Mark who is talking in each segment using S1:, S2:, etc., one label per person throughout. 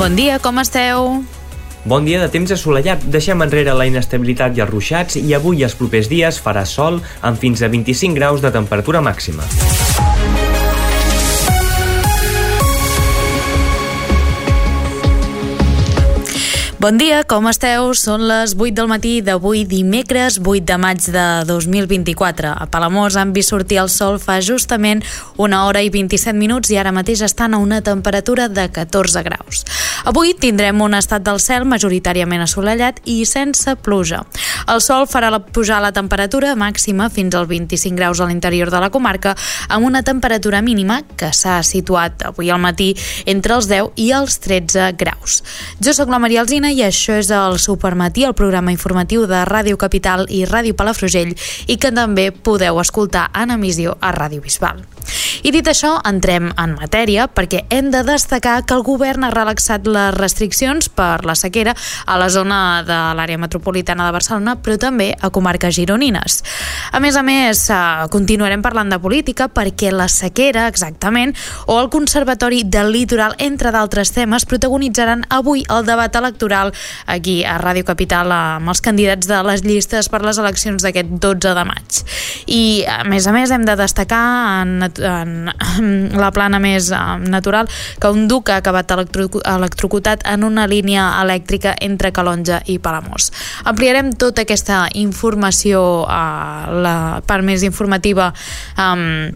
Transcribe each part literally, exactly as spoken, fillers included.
S1: Bon dia, com esteu?
S2: Bon dia de temps assolellat. Deixem enrere la inestabilitat i els ruixats i avui i els propers dies farà sol amb fins a vint-i-cinc graus de temperatura màxima.
S1: Bon dia, com esteu? Són les vuit del matí d'avui dimecres vuit de maig de dos mil vint-i-quatre. A Palamós han vist sortir el sol fa justament una hora i vint-i-set minuts i ara mateix estan a una temperatura de catorze graus. Avui tindrem un estat del cel majoritàriament assolellat i sense pluja. El sol farà la, pujar la temperatura màxima fins als vint-i-cinc graus a l'interior de la comarca, amb una temperatura mínima que s'ha situat avui al matí entre els deu i els tretze graus. Jo sóc la Maria Alsina i això és el Supermatí, el programa informatiu de Ràdio Capital i Ràdio Palafrugell i que també podeu escoltar en emissió a Ràdio Bisbal. I dit això, entrem en matèria perquè hem de destacar que el govern ha relaxat les restriccions per la sequera a la zona de l'àrea metropolitana de Barcelona, però també a comarques gironines. A més a més, continuarem parlant de política perquè la sequera, exactament, o el Conservatori del Litoral, entre d'altres temes, protagonitzaran avui el debat electoral aquí a Ràdio Capital amb els candidats de les llistes per les eleccions d'aquest dotze de maig. I, a més a més, hem de destacar en, en la plana més natural que un duc ha acabat electro, electrocutat en una línia elèctrica entre Calonge i Palamós. Ampliarem tota aquesta informació a la part més informativa um,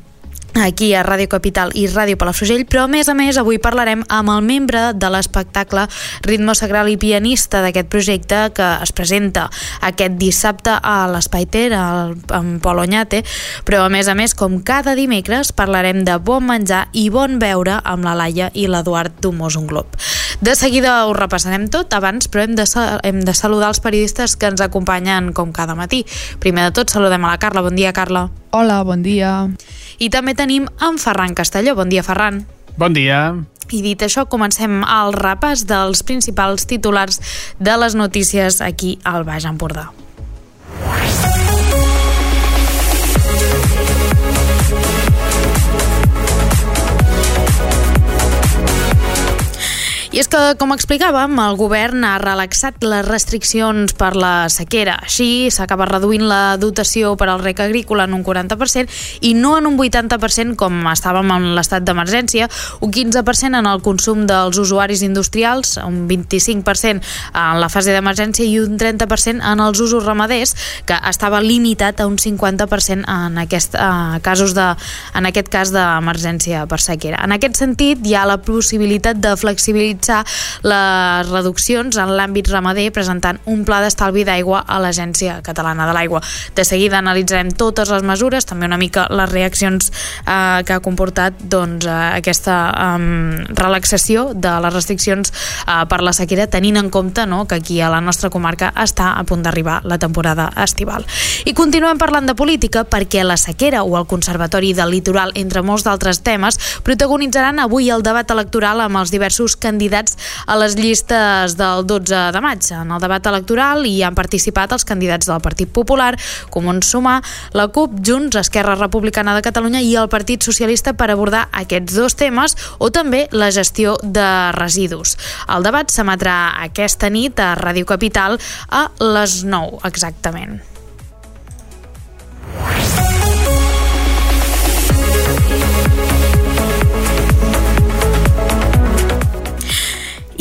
S1: aquí a Ràdio Capital i Ràdio Palafrugell, però a més a més avui parlarem amb el membre de l'espectacle Ritmo Sagral i pianista d'aquest projecte que es presenta aquest dissabte a l'Espai Ter, amb Pol Oñate, però a més a més, com cada dimecres, parlarem de bon menjar i bon beure amb la Laia i l'Eduard d'Humós un Glob. De seguida ho repassarem tot, abans però hem de, hem de saludar els periodistes que ens acompanyen com cada matí. Primer de tot saludem a la Carla. Bon dia, Carla.
S3: Hola, bon dia.
S1: I també tenim en Ferran Castelló. Bon dia, Ferran.
S4: Bon dia.
S1: I dit això, comencem el repàs dels principals titulars de les notícies aquí al Baix Empordà. I és que, com explicàvem, el govern ha relaxat les restriccions per la sequera. Així, s'acaba reduint la dotació per al rec agrícola en un quaranta per cent i no en un vuitanta per cent com estàvem en l'estat d'emergència, un quinze per cent en el consum dels usuaris industrials, un vint-i-cinc per cent en la fase d'emergència i un trenta per cent en els usos ramaders, que estava limitat a un cinquanta per cent en aquest, eh, casos de, en aquest cas d'emergència per sequera. En aquest sentit, hi ha la possibilitat de flexibilitzar les reduccions en l'àmbit ramader presentant un pla d'estalvi d'aigua a l'Agència Catalana de l'Aigua. De seguida analitzarem totes les mesures, també una mica les reaccions eh, que ha comportat doncs, eh, aquesta eh, relaxació de les restriccions eh, per la sequera, tenint en compte no, que aquí a la nostra comarca està a punt d'arribar la temporada estival. I continuem parlant de política perquè la sequera o el Conservatori del Litoral, entre molts d'altres temes, protagonitzaran avui el debat electoral amb els diversos candidats a les llistes del dotze de maig. En el debat electoral hi han participat els candidats del Partit Popular, Comuns Sumar, la CUP, Junts, Esquerra Republicana de Catalunya i el Partit Socialista per abordar aquests dos temes o també la gestió de residus. El debat s'emetrà aquesta nit a Ràdio Capital a les nou exactament.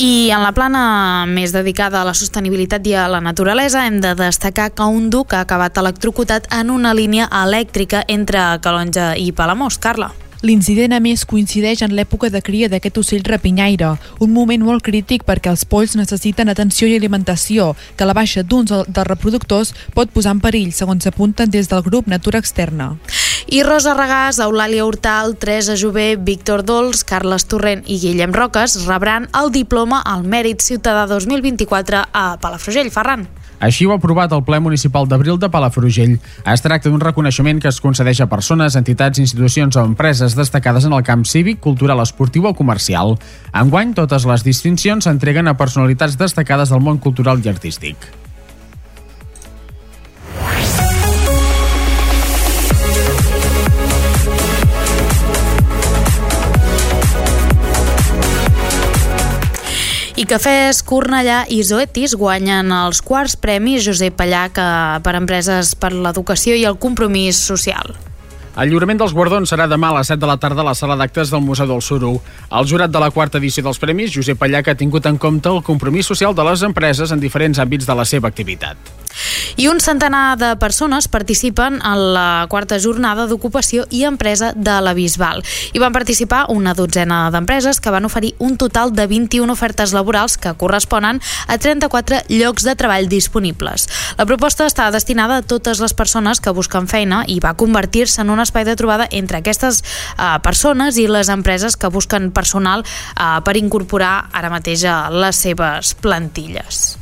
S1: I en la plana més dedicada a la sostenibilitat i a la naturalesa hem de destacar que un duc ha acabat electrocutat en una línia elèctrica entre Calonge i Palamós. Carla.
S3: L'incident, a més, coincideix en l'època de cria d'aquest ocell rapinyaire, un moment molt crític perquè els polls necessiten atenció i alimentació, que la baixa d'uns dels reproductors pot posar en perill, segons apunten des del grup Natura Externa.
S1: I Rosa Regàs, Eulàlia Hortal, Teresa Jové, Víctor Dols, Carles Torrent i Guillem Roques rebran el diploma al Mèrit Ciutadà dos mil vint-i-quatre a Palafrugell. Ferran.
S4: Així ho ha aprovat el ple municipal d'Abril de Palafrugell. Es tracta d'un reconeixement que es concedeix a persones, entitats, institucions o empreses destacades en el camp cívic, cultural, esportiu o comercial. Enguany, totes les distincions s'entreguen a personalitats destacades del món cultural i artístic.
S1: I I Cafès Cornellà i Zoetis guanyen els quarts premis Josep Pallach per empreses per l'educació i el compromís social.
S4: El lliurament dels guardons serà demà a les set de la tarda a la sala d'actes del Museu del Suro. El jurat de la quarta edició dels premis, Josep Pallach, ha tingut en compte el compromís social de les empreses en diferents àmbits de la seva activitat.
S1: I un centenar de persones participen en la quarta jornada d'ocupació i empresa de la Bisbal. Hi van participar una dotzena d'empreses que van oferir un total de vint-i-una ofertes laborals que corresponen a trenta-quatre llocs de treball disponibles. La proposta està destinada a totes les persones que busquen feina i va convertir-se en un espai de trobada entre aquestes uh, persones i les empreses que busquen personal uh, per incorporar ara mateix a les seves plantilles.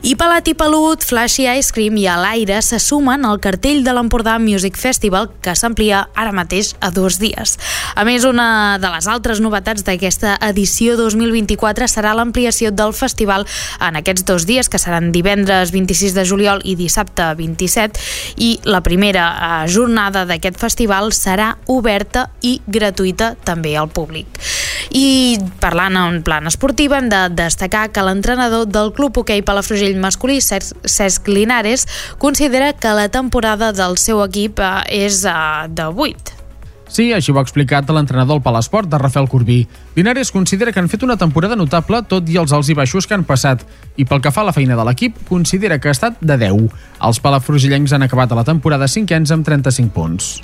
S1: I Pelat i Pelut, Flashy Ice Cream i a l'Aire se sumen al cartell de l'Empordà Music Festival, que s'amplia ara mateix a dos dies. A més, una de les altres novetats d'aquesta edició dos mil vint-i-quatre serà l'ampliació del festival en aquests dos dies, que seran divendres vint-i-sis de juliol i dissabte vint-i-set, i la primera eh, jornada d'aquest festival serà oberta i gratuïta també al públic. I parlant en plan esportiu, hem de destacar que l'entrenador del Club Hoquei Palafrugell masculí, Cesc Linares, considera que la temporada del seu equip és de vuit.
S4: Sí, així ho ha explicat l'entrenador del Palesport, de Rafael Corbí. Linares considera que han fet una temporada notable tot i els alts i baixos que han passat, i pel que fa a la feina de l'equip, considera que ha estat de deu. Els palafrugellencs han acabat a la temporada cinquens amb trenta-cinc punts.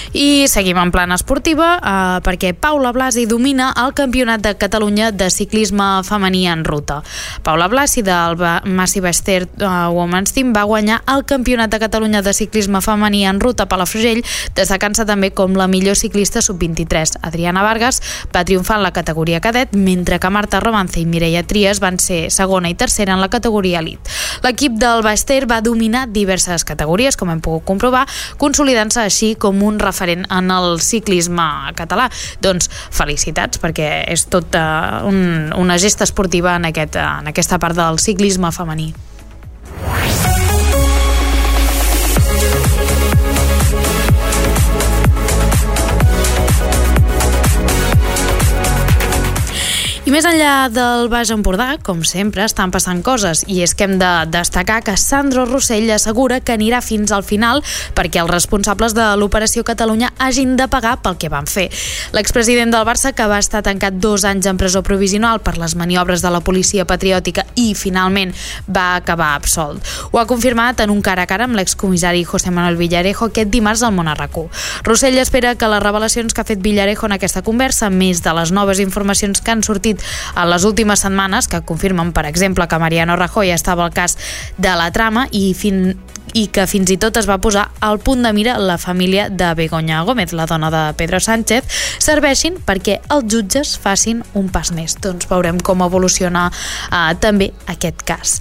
S1: I seguim en plan esportiva eh, perquè Paula Blasi domina el Campionat de Catalunya de ciclisme femení en ruta. Paula Blasi del Massive Ester uh, Women's Team va guanyar el Campionat de Catalunya de ciclisme femení en ruta a Palafrugell, destacant-se també com la millor ciclista sub vint-i-tres. Adriana Vargas va triomfar en la categoria cadet, mentre que Marta Romance i Mireia Trias van ser segona i tercera en la categoria elit. L'equip del Baester va dominar diverses categories, com hem pogut comprovar, consolidant-se així com un referent en el ciclisme català. Doncs felicitats, perquè és tota un, una gesta esportiva en, aquest, en aquesta part del ciclisme femení. I més enllà del Baix Empordà, com sempre, estan passant coses, i és que hem de destacar que Sandro Rossell assegura que anirà fins al final perquè els responsables de l'Operació Catalunya hagin de pagar pel que van fer. L'expresident del Barça, que va estar tancat dos anys en presó provisional per les maniobres de la policia patriòtica i finalment va acabar absolt. Ho ha confirmat en un cara a cara amb l'excomissari José Manuel Villarejo aquest dimarts al Món a RAC u. Rossell espera que les revelacions que ha fet Villarejo en aquesta conversa, més de les noves informacions que han sortit en les últimes setmanes, que confirmen, per exemple, que Mariano Rajoy estava al cas de la trama i fin i que fins i tot es va posar al punt de mira la família de Begoña Gómez, la dona de Pedro Sánchez, serveixin perquè els jutges facin un pas més. Doncs veurem com evoluciona eh, també aquest cas.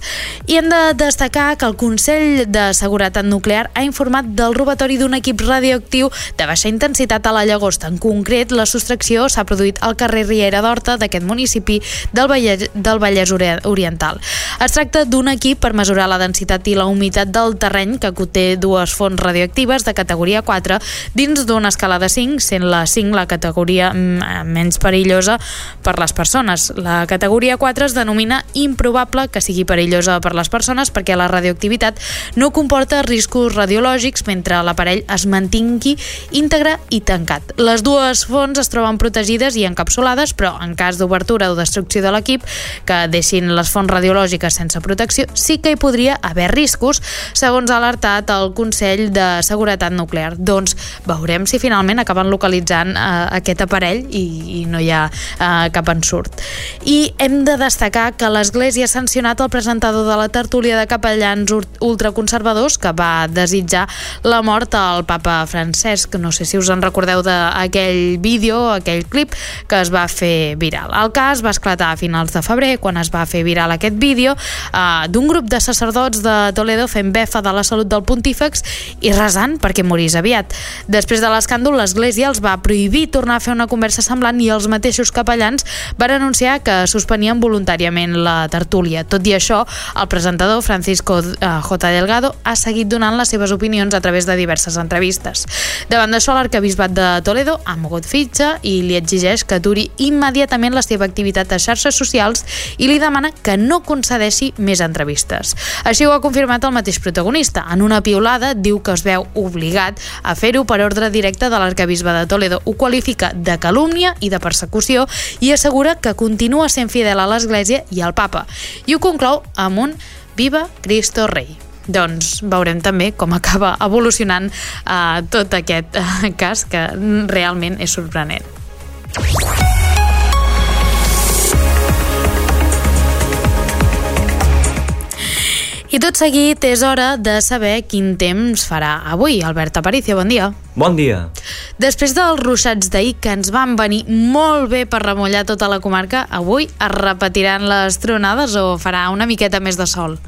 S1: I hem de destacar que el Consell de Seguretat Nuclear ha informat del robatori d'un equip radioactiu de baixa intensitat a la Llagosta. En concret, la sostracció s'ha produït al carrer Riera d'Horta d'aquest municipi del Vallès, del Vallès Oriental. Es tracta d'un equip per mesurar la densitat i la humitat del terreny que conté dues fonts radioactives de categoria quatre dins d'una escala de cinc, sent la cinc la categoria menys perillosa per les persones. La categoria quatre es denomina improbable que sigui perillosa per les persones perquè la radioactivitat no comporta riscos radiològics mentre l'aparell es mantingui íntegre i tancat. Les dues fonts es troben protegides i encapsulades, però en cas d'obertura o destrucció de l'equip que deixin les fonts radiològiques sense protecció, sí que hi podria haver riscos, segons ha alertat el Consell de Seguretat Nuclear. Doncs veurem si finalment acaben localitzant eh, aquest aparell i, i no hi ha eh, cap ensurt. I hem de destacar que l'Església ha sancionat el presentador de la tertúlia de capellans ultraconservadors que va desitjar la mort al papa Francesc. No sé si us en recordeu d'aquell vídeo, aquell clip que es va fer viral. El cas va esclatar a finals de febrer, quan es va fer viral aquest vídeo eh, d'un grup de sacerdots de Toledo fent befa de la la salut del pontífex i resant perquè morís aviat. Després de l'escàndol, l'Església els va prohibir tornar a fer una conversa semblant i els mateixos capellans van anunciar que suspenien voluntàriament la tertúlia. Tot i això, el presentador Francisco J. Delgado ha seguit donant les seves opinions a través de diverses entrevistes. Davant d'això, l'arquebisbat de Toledo ha mogut fitxa i li exigeix que aturi immediatament la seva activitat a xarxes socials i li demana que no concedeixi més entrevistes. Així ho ha confirmat el mateix protagonista. En una piulada diu que es veu obligat a fer-ho per ordre directe de l'arquebisbe de Toledo. Ho qualifica de calúmnia i de persecució i assegura que continua sent fidel a l'Església i al Papa. I ho conclou amb un Viva Cristo Rei. Doncs veurem també com acaba evolucionant eh, tot aquest eh, cas, que realment és sorprenent. I tot seguit és hora de saber quin temps farà avui. Albert Aparicio, bon dia.
S2: Bon dia.
S1: Després dels ruixats d'ahir, que ens van venir molt bé per remullar tota la comarca, avui es repetiran les tronades o farà una miqueta més de sol?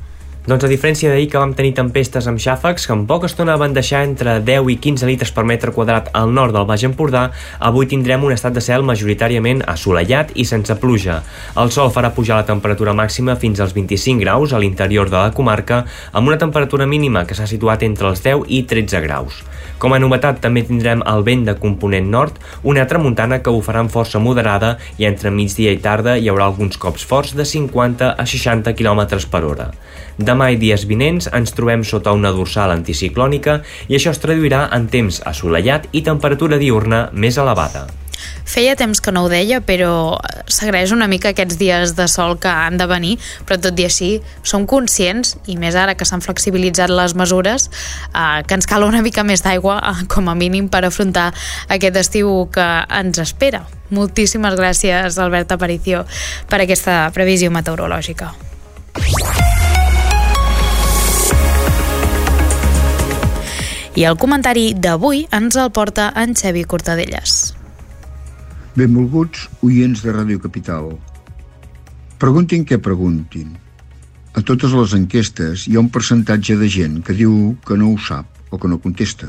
S2: Doncs a diferència d'ahir, que vam tenir tempestes amb xàfecs que en poca estona van deixar entre deu i quinze litres per metre quadrat al nord del Baix Empordà, avui tindrem un estat de cel majoritàriament assolellat i sense pluja. El sol farà pujar la temperatura màxima fins als vint-i-cinc graus a l'interior de la comarca, amb una temperatura mínima que s'ha situat entre els deu i tretze graus. Com a novetat, també tindrem el vent de component nord, una tramuntana que ho farà amb força moderada i entre migdia i tarda hi haurà alguns cops forts de cinquanta a seixanta quilòmetres per hora. Demà i dies vinents ens trobem sota una dorsal anticiclònica i això es traduirà en temps assolellat i temperatura diürna més elevada.
S1: Feia temps que no ho deia, però s'agraeix una mica aquests dies de sol que han de venir, però tot i així som conscients, i més ara que s'han flexibilitzat les mesures, eh, que ens cal una mica més d'aigua, eh, com a mínim, per afrontar aquest estiu que ens espera. Moltíssimes gràcies, Albert Aparicio, per aquesta previsió meteorològica. I el comentari d'avui ens el porta en Xavi Cortadellas.
S5: Benvolguts oients de Ràdio Capital. Preguntin què preguntin. A totes les enquestes hi ha un percentatge de gent que diu que no ho sap o que no contesta.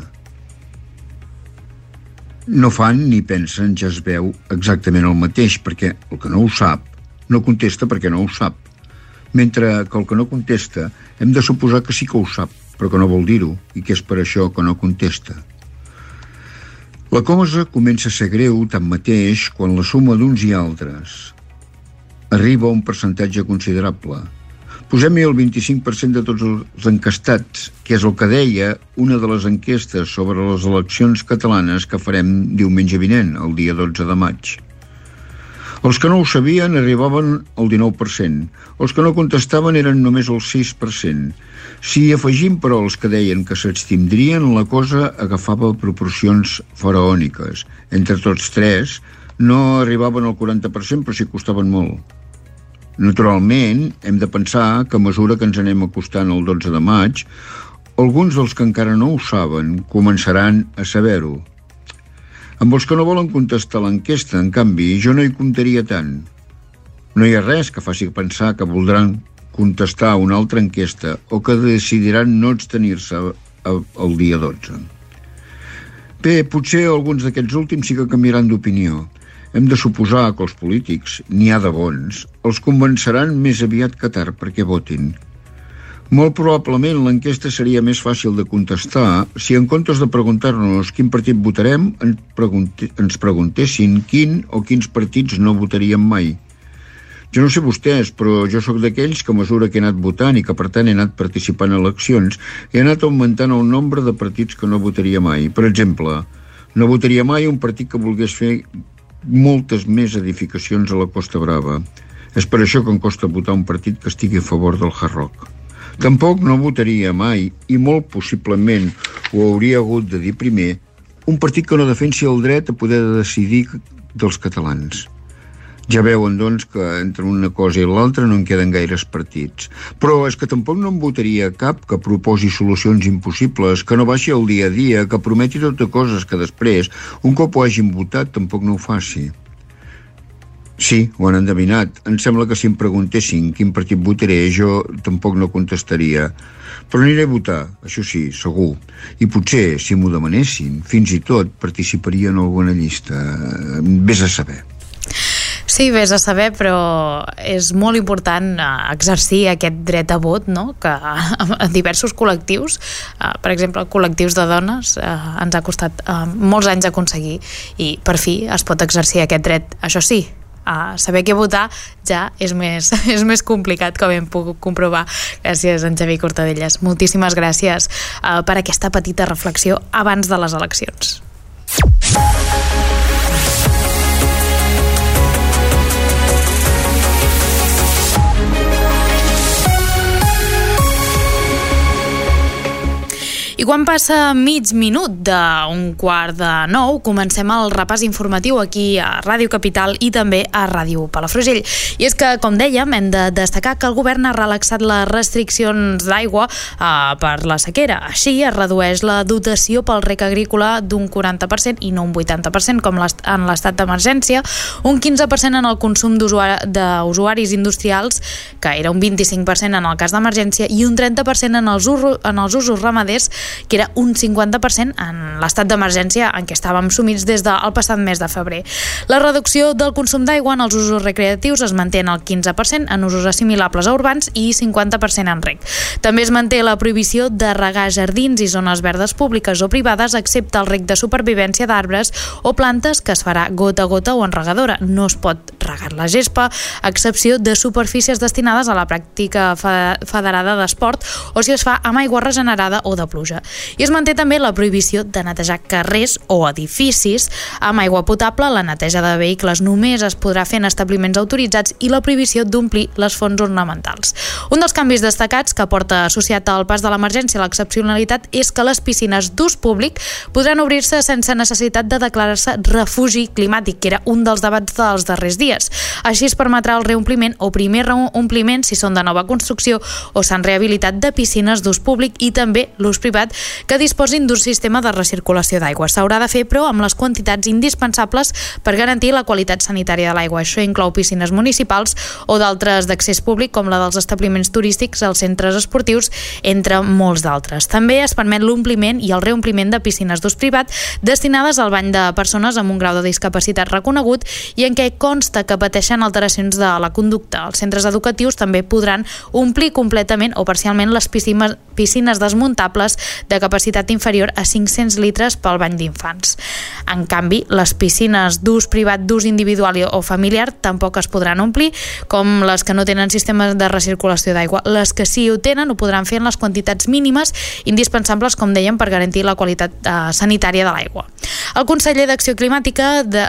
S5: No fan ni pensen, ja es veu exactament el mateix, perquè el que no ho sap no contesta perquè no ho sap. Mentre que el que no contesta hem de suposar que sí que ho sap, però que no vol dir-ho, i que és per això que no contesta. La cosa comença a ser greu, tanmateix, quan la suma d'uns i altres arriba a un percentatge considerable. Posem-hi el vint-i-cinc per cent de tots els encastats, que és el que deia una de les enquestes sobre les eleccions catalanes que farem diumenge vinent, el dia dotze de maig. Els que no ho sabien arribaven al dinou per cent. Els que no contestaven eren només el sis per cent. Si afegim, però, els que deien que s'abstindrien, la cosa agafava proporcions faraòniques. Entre tots tres, no arribaven al quaranta per cent, però s'hi costaven molt. Naturalment, hem de pensar que a mesura que ens anem acostant al dotze de maig, alguns dels que encara no ho saben començaran a saber-ho. Amb els que no volen contestar l'enquesta, en canvi, jo no hi comptaria tant. No hi ha res que faci pensar que voldran contestar una altra enquesta o que decidiran no abstenir-se el dia dotze. Bé, potser alguns d'aquests últims sí que canviaran d'opinió. Hem de suposar que els polítics, n'hi ha de bons, els convenceran més aviat que tard perquè votin. Molt probablement l'enquesta seria més fàcil de contestar si en comptes de preguntar-nos quin partit votarem ens preguntessin quin o quins partits no votaríem mai. Jo no sé vostès, però jo sóc d'aquells que a mesura que he anat votant i que per tant he anat participant en eleccions, he anat augmentant el nombre de partits que no votaria mai. Per exemple, no votaria mai un partit que volgués fer moltes més edificacions a la Costa Brava. És per això que em costa votar un partit que estigui a favor del Hard Rock. Tampoc no votaria mai, i molt possiblement ho hauria hagut de dir primer, un partit que no defensi el dret a poder decidir dels catalans. Ja veuen, doncs, que entre una cosa i l'altra no en queden gaires partits. Però és que tampoc no en votaria cap que proposi solucions impossibles, que no baixi el dia a dia, que prometi totes coses que després, un cop ho hagin votat, tampoc no ho faci. Sí, ho han endevinat. Em sembla que si em preguntessin quin partit votaré, jo tampoc no contestaria. Però aniré a votar, això sí, segur. I potser, si m'ho demanessin, fins i tot participaria en alguna llista. Vés a saber.
S1: Sí, vés a saber, però és molt important exercir aquest dret a vot, no? Que a diversos col·lectius, per exemple, col·lectius de dones, ens ha costat molts anys aconseguir, i per fi es pot exercir aquest dret. Això sí, a saber què votar ja és més, és més complicat, com hem pogut comprovar. Gràcies, en Xavier Cortadellas. Moltíssimes gràcies uh, per aquesta petita reflexió abans de les eleccions. I quan passa mig minut d'un quart de nou, comencem el repàs informatiu aquí a Ràdio Capital i també a Ràdio Palafrugell. I és que, com dèiem, hem de destacar que el govern ha relaxat les restriccions d'aigua eh, per la sequera. Així es redueix la dotació pel rec agrícola d'un quaranta per cent i no un vuitanta per cent com en l'estat d'emergència, un quinze per cent en el consum d'usuaris industrials, que era un vint-i-cinc per cent en el cas d'emergència, i un trenta per cent en els, usos, en els usos ramaders, que era un cinquanta per cent en l'estat d'emergència en què estàvem sumits des del passat mes de febrer. La reducció del consum d'aigua en els usos recreatius es manté en el quinze per cent en usos assimilables a urbans i cinquanta per cent en rec. També es manté la prohibició de regar jardins i zones verdes públiques o privades, excepte el rec de supervivència d'arbres o plantes, que es farà gota a gota o en regadora. No es pot regar la gespa, a excepció de superfícies destinades a la pràctica federada d'esport o si es fa amb aigua regenerada o de pluja. I es manté també la prohibició de netejar carrers o edificis amb aigua potable. La neteja de vehicles només es podrà fer en establiments autoritzats i la prohibició d'omplir les fonts ornamentals. Un dels canvis destacats que porta associat al pas de l'emergència a l'excepcionalitat és que les piscines d'ús públic podran obrir-se sense necessitat de declarar-se refugi climàtic, que era un dels debats dels darrers dies. Així es permetrà el reompliment o primer reompliment si són de nova construcció o s'han rehabilitat de piscines d'ús públic i també l'ús privat que disposin d'un sistema de recirculació d'aigua. S'haurà de fer, però, amb les quantitats indispensables per garantir la qualitat sanitària de l'aigua. Això inclou piscines municipals o d'altres d'accés públic, com la dels establiments turístics, els centres esportius, entre molts d'altres. També es permet l'ompliment i el reompliment de piscines d'ús privat destinades al bany de persones amb un grau de discapacitat reconegut i en què consta que pateixen alteracions de la conducta. Els centres educatius també podran omplir completament o parcialment les piscines, piscines desmuntables de capacitat inferior a cinc-cents litres pel bany d'infants. En canvi, les piscines d'ús privat, d'ús individual o familiar tampoc es podran omplir, com les que no tenen sistemes de recirculació d'aigua. Les que sí ho tenen ho podran fer en les quantitats mínimes indispensables, com dèiem, per garantir la qualitat eh, sanitària de l'aigua. El conseller d'Acció Climàtica de...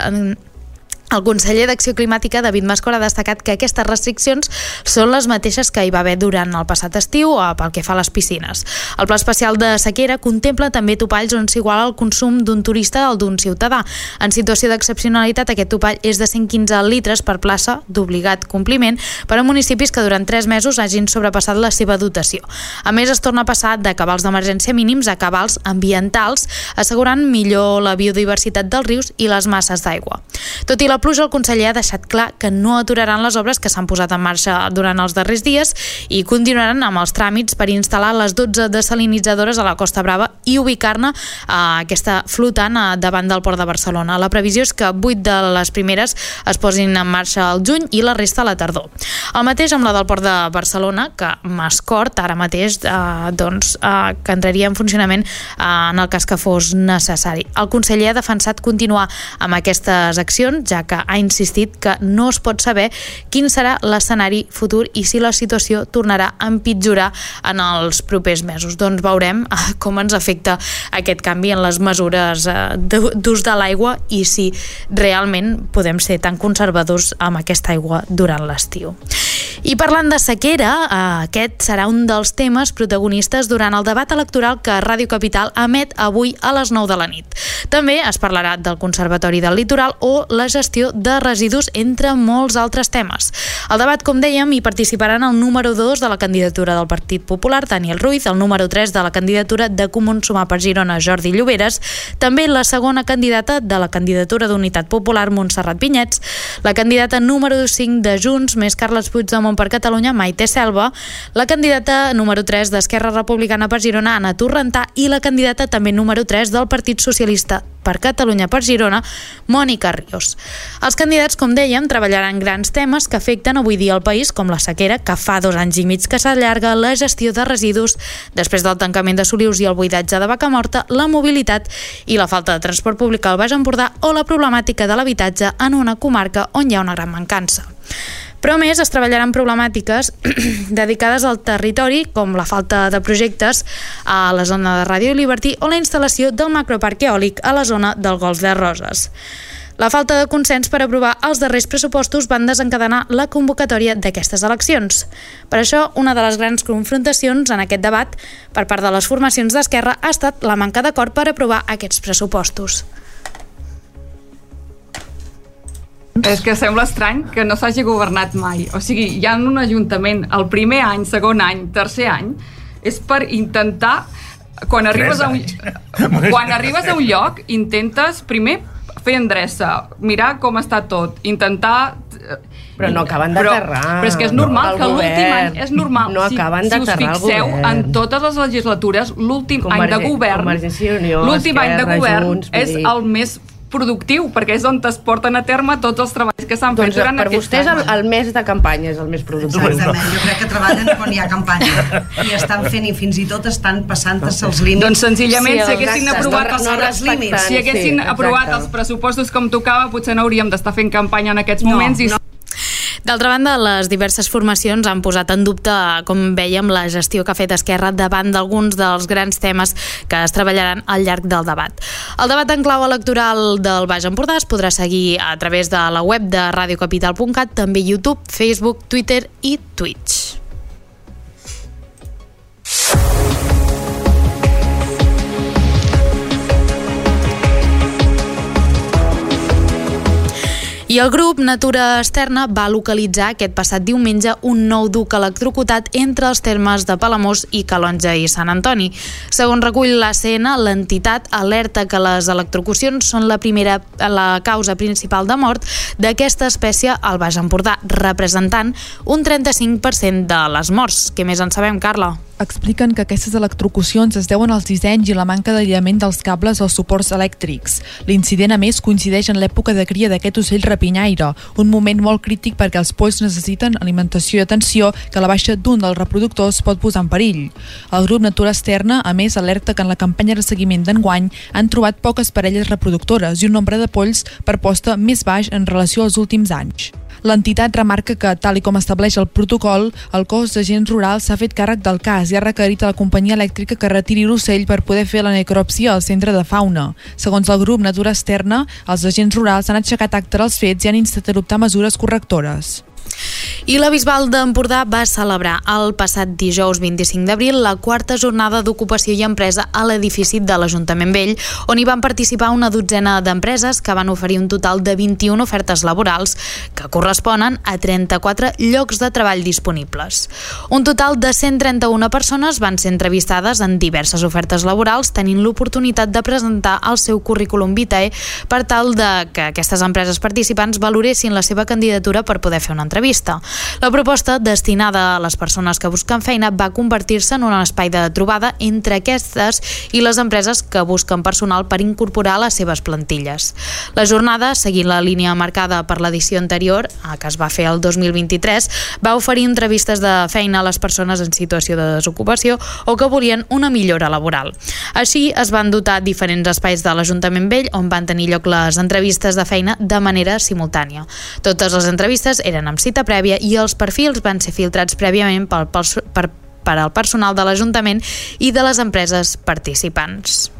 S1: El conseller d'Acció Climàtica, David Mascor, ha destacat que aquestes restriccions són les mateixes que hi va haver durant el passat estiu pel que fa a les piscines. El Pla Especial de Sequera contempla també topalls on s'iguala el consum d'un turista al d'un ciutadà. En situació d'excepcionalitat, aquest topall és de cent quinze litres per plaça d'obligat compliment per a municipis que durant tres mesos hagin sobrepassat la seva dotació. A més, es torna a passar de cabals d'emergència mínims a cabals ambientals, assegurant millor la biodiversitat dels rius i les masses d'aigua. Tot i la pluja, el conseller ha deixat clar que no aturaran les obres que s'han posat en marxa durant els darrers dies i continuaran amb els tràmits per instal·lar les dotze desalinitzadores a la Costa Brava i ubicar-ne eh, aquesta flotant eh, davant del Port de Barcelona. La previsió és que vuit de les primeres es posin en marxa al juny i la resta a la tardor. El mateix amb la del Port de Barcelona, que Mascort ara mateix eh, doncs, eh, que entraria en funcionament eh, en el cas que fos necessari. El conseller ha defensat continuar amb aquestes accions, ja que ha insistit que no es pot saber quin serà l'escenari futur i si la situació tornarà a empitjorar en els propers mesos. Doncs veurem com ens afecta aquest canvi en les mesures d'ús de l'aigua i si realment podem ser tan conservadors amb aquesta aigua durant l'estiu. I parlant de sequera, aquest serà un dels temes protagonistes durant el debat electoral que Ràdio Capital emet avui a les nou de la nit. També es parlarà del Conservatori del Litoral o la gestió gestió de residus, entre molts altres temes. Al debat, com dèiem, hi participaran el número dos de la candidatura del Partit Popular, Daniel Ruiz, el número tres de la candidatura de Comuns Sumar per Girona, Jordi Lloberes, també la segona candidata de la candidatura d'Unitat Popular, Montserrat Vinyets, la candidata número cinc de Junts, més Carles Puigdemont per Catalunya, Maite Selva, la candidata número tres d'Esquerra Republicana per Girona, Anna Torrentà, i la candidata també número tres del Partit Socialista per Catalunya per Girona, Mònica Ríos. Els candidats, com dèiem, treballaran grans temes que afecten avui dia el país, com la sequera, que fa dos anys i mig que s'allarga, la gestió de residus després del tancament de Solius i el buidatge de Vacamorta, la mobilitat i la falta de transport públic al Baix Empordà o la problemàtica de l'habitatge en una comarca on hi ha una gran mancança. Però a més es treballaran problemàtiques dedicades al territori, com la falta de projectes a la zona de Radio Liberty o la instal·lació del macroparc eòlic a la zona del Golf de Roses. La falta de consens per aprovar els darrers pressupostos van desencadenar la convocatòria d'aquestes eleccions. Per això, una de les grans confrontacions en aquest debat per part de les formacions d'Esquerra ha estat la manca d'acord per aprovar aquests pressupostos.
S6: És que sembla estrany que no s'hagi governat mai. O sigui, hi ha un ajuntament el primer any, segon any, tercer any, és per intentar, quan arribes a un, quan arribes a un lloc, intentes primer fer endreça, mirar com està tot, intentar...
S7: Però no acaben d'aterrar.
S6: Però, però és que és normal que l'últim any, és normal,
S7: no
S6: si,
S7: acaben
S6: si us fixeu, en totes les legislatures, l'últim any de govern, l'últim any de govern és el més productiu, perquè és on es porten a terme tots els treballs que s'han fet
S7: doncs
S6: durant
S7: per
S6: aquest
S7: vostès el, el mes de campanya és el més productiu.
S8: Exactament, jo crec que treballen quan hi ha campanya i estan fent i fins i tot estan passant-se els límits.
S6: Doncs senzillament sí, si haguessin
S7: exacte,
S6: aprovat
S7: no,
S6: els,
S7: no
S6: límits, si haguessin sí, aprovat els pressupostos com tocava, potser no hauríem d'estar fent campanya en aquests moments no, i no.
S1: D'altra banda, les diverses formacions han posat en dubte, com veiem, la gestió que ha fet Esquerra davant d'alguns dels grans temes que es treballaran al llarg del debat. El debat en clau electoral del Baix Empordà es podrà seguir a través de la web de radiocapital punt cat, també YouTube, Facebook, Twitter i Twitch. I el grup Natura Externa va localitzar aquest passat diumenge un nou duc electrocutat entre els termes de Palamós i Calonge i Sant Antoni. Segons recull l'A C N, l'entitat alerta que les electrocucions són la primera la causa principal de mort d'aquesta espècie al Baix Empordà, representant un trenta-cinc per cent de les morts. Què més en sabem, Carla?
S3: Expliquen que aquestes electrocucions es deuen als dissenys i la manca d'aïllament dels cables als suports elèctrics. L'incident, a més, coincideix en l'època de cria d'aquest ocell rapinyaire, un moment molt crític perquè els polls necessiten alimentació i atenció que la baixa d'un dels reproductors pot posar en perill. El grup Natura Externa, a més, alerta que en la campanya de seguiment d'enguany han trobat poques parelles reproductores i un nombre de polls per posta més baix en relació als últims anys. L'entitat remarca que, tal i com estableix el protocol, el cos d'agents rurals s'ha fet càrrec del cas i ha requerit a la companyia elèctrica que retiri l'ocell per poder fer la necròpsia al centre de fauna. Segons el grup Natura Externa, els agents rurals han aixecat acta dels fets i han instat a adoptar mesures correctores.
S1: I la Bisbal d'Empordà va celebrar el passat dijous vint-i-cinc d'abril la quarta jornada d'ocupació i empresa a l'edifici de l'Ajuntament Vell, on hi van participar una dotzena d'empreses que van oferir un total de vint-i-una ofertes laborals que corresponen a trenta-quatre llocs de treball disponibles. Un total de cent trenta-una persones van ser entrevistades en diverses ofertes laborals, tenint l'oportunitat de presentar el seu currículum vitae per tal de que aquestes empreses participants valoressin la seva candidatura per poder fer una entrevista. La proposta, destinada a les persones que busquen feina, va convertir-se en un espai de trobada entre aquestes i les empreses que busquen personal per incorporar a les seves plantilles. La jornada, seguint la línia marcada per l'edició anterior, que es va fer el dos mil vint-i-tres, va oferir entrevistes de feina a les persones en situació de desocupació o que volien una millora laboral. Així, es van dotar diferents espais de l'Ajuntament Vell on van tenir lloc les entrevistes de feina de manera simultània. Totes les entrevistes eren amb cita prèvia i els perfils van ser filtrats prèviament per, per, per al personal de l'Ajuntament i de les empreses participants.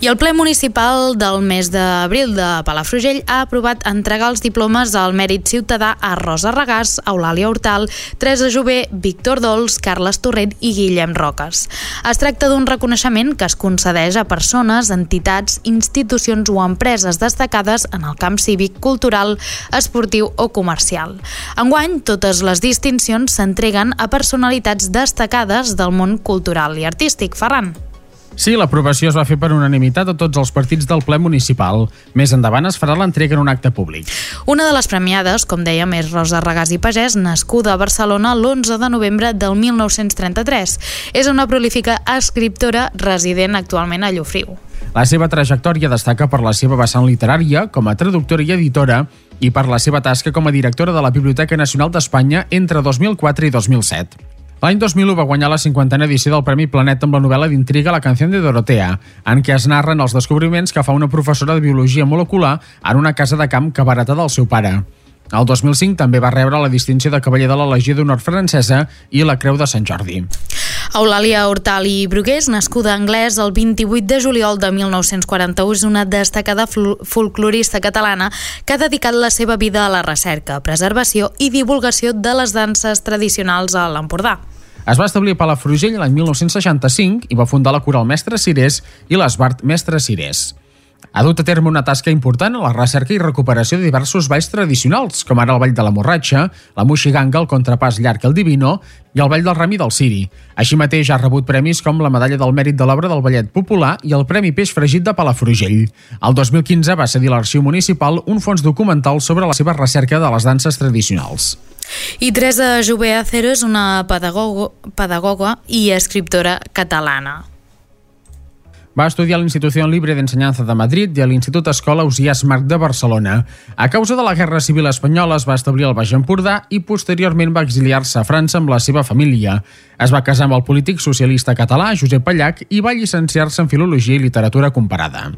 S1: I el ple municipal del mes d'abril de Palafrugell ha aprovat entregar els diplomes al mèrit ciutadà a Rosa Regàs, Eulàlia Hortal, Teresa Jové, Víctor Dols, Carles Torrent i Guillem Roques. Es tracta d'un reconeixement que es concedeix a persones, entitats, institucions o empreses destacades en el camp cívic, cultural, esportiu o comercial. Enguany, totes les distincions s'entreguen a personalitats destacades del món cultural i artístic. Ferran.
S4: Sí, l'aprovació es va fer per unanimitat a tots els partits del ple municipal. Més endavant es farà l'entrega en un acte públic.
S1: Una de les premiades, com dèiem, és Rosa Regàs i Pagès, nascuda a Barcelona l'onze de novembre del mil nou-cents trenta-tres. És una prolífica escriptora resident actualment a Llofriu.
S4: La seva trajectòria destaca per la seva vessant literària, com a traductora i editora, i per la seva tasca com a directora de la Biblioteca Nacional d'Espanya entre dos mil quatre i dos mil set. L'any dos mil u va guanyar la cinquantena edició del Premi Planeta amb la novel·la d'intriga La canción de Dorotea, en què es narren els descobriments que fa una professora de biologia molecular en una casa de camp que va heretar del seu pare. El dos mil cinc també va rebre la distinció de Cavaller de la Legió d'Honor francesa i la Creu de Sant Jordi.
S1: Eulàlia Hortal i Brugués, nascuda a Anglès el vint-i-vuit de juliol de mil nou-cents quaranta-u, és una destacada folclorista catalana que ha dedicat la seva vida a la recerca, preservació i divulgació de les danses tradicionals a l'Empordà.
S4: Es va establir a Palafrugell l'any mil nou-cents seixanta-cinc i va fundar la Coral Mestre Cirés i l'Esbart Mestre Cirés. Ha dut a terme una tasca important a la recerca i recuperació de diversos balls tradicionals, com ara el ball de la Morratxa, la Moixiganga, el contrapàs llarg el Divino i el ball del Rami del Ciri. Així mateix ha rebut premis com la Medalla del Mèrit de l'Obra del Ballet Popular i el Premi Peix Fregit de Palafrugell. El dos mil quinze va cedir a l'Arxiu Municipal un fons documental sobre la seva recerca de les danses tradicionals.
S1: I Teresa Jové Acero és una pedagogo, pedagoga i escriptora catalana.
S4: Va estudiar a l'Institució Libre d'Ensenyança de Madrid i a l'Institut Escola Ausiàs Marc de Barcelona. A causa de la Guerra Civil Espanyola es va establir al Baix Empordà i posteriorment va exiliar-se a França amb la seva família. Es va casar amb el polític socialista català Josep Pallach i va llicenciar-se en Filologia i Literatura Comparada.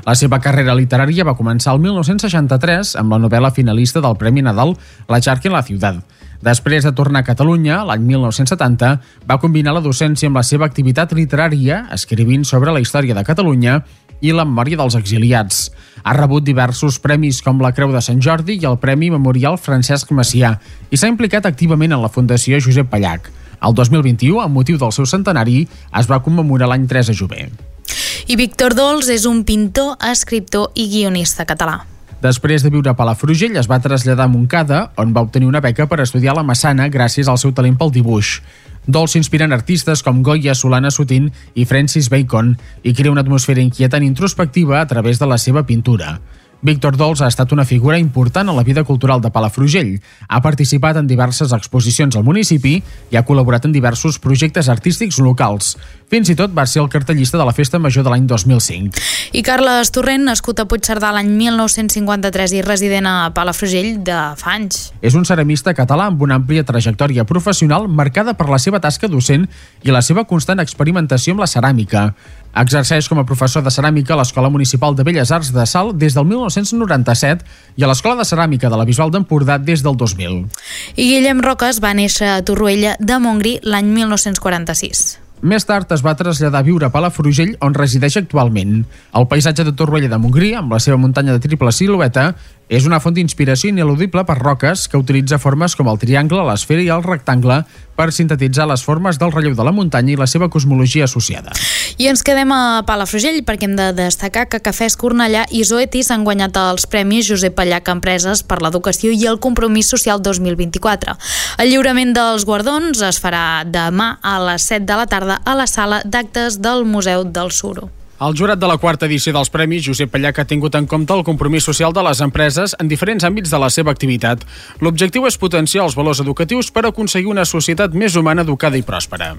S4: La seva carrera literària va començar el mil nou-cents seixanta-tres amb la novel·la finalista del Premi Nadal La Charca en la Ciudad. Després de tornar a Catalunya, l'any mil nou-cents setanta, va combinar la docència amb la seva activitat literària, escrivint sobre la història de Catalunya i la memòria dels exiliats. Ha rebut diversos premis com la Creu de Sant Jordi i el Premi Memorial Francesc Macià i s'ha implicat activament en la Fundació Josep Pallach. El dos mil vint-i-u, amb motiu del seu centenari, es va commemorar l'any Teresa Jové.
S1: I Víctor Dols és un pintor, escriptor i guionista català.
S4: Després de viure a Palafrugell, es va traslladar a Montcada, on va obtenir una beca per estudiar la Massana gràcies al seu talent pel dibuix. Dols s'inspira en artistes com Goya, Solana Sotin i Francis Bacon i crea una atmosfera inquietant i introspectiva a través de la seva pintura. Víctor Dols ha estat una figura important en la vida cultural de Palafrugell. Ha participat en diverses exposicions al municipi i ha col·laborat en diversos projectes artístics locals. Fins i tot va ser el cartellista de la Festa Major de l'any dos mil cinc.
S1: I Carles Torrent, nascut a Puigcerdà l'any mil nou-cents cinquanta-tres i resident a Palafrugell de fa anys.
S4: És un ceramista català amb una àmplia trajectòria professional marcada per la seva tasca docent i la seva constant experimentació amb la ceràmica. Exerceix com a professor de ceràmica a l'Escola Municipal de Belles Arts de Salt des del mil nou-cents noranta-set i a l'Escola de Ceràmica de la Bisbal d'Empordà des del dos mil.
S1: I Guillem Roques va néixer a Torroella de Montgrí l'any mil nou-cents quaranta-sis.
S4: Més tard es va traslladar a viure a Palafrugell, on resideix actualment. El paisatge de Torroella de Montgrí, amb la seva muntanya de triple silueta, és una font d'inspiració ineludible per Roques, que utilitza formes com el triangle, l'esfera i el rectangle per sintetitzar les formes del relleu de la muntanya i la seva cosmologia associada.
S1: I ens quedem a Palafrugell perquè hem de destacar que Cafès Cornellà i Zoetis han guanyat els Premis Josep Pallach Empreses per l'Educació i el Compromís Social dos mil vint-i-quatre. El lliurament dels guardons es farà demà a les set de la tarda a la sala d'actes del Museu del Suro.
S4: El jurat de la quarta edició dels Premis Josep Pallach ha tingut en compte el compromís social de les empreses en diferents àmbits de la seva activitat. L'objectiu és potenciar els valors educatius per aconseguir una societat més humana, educada i pròspera.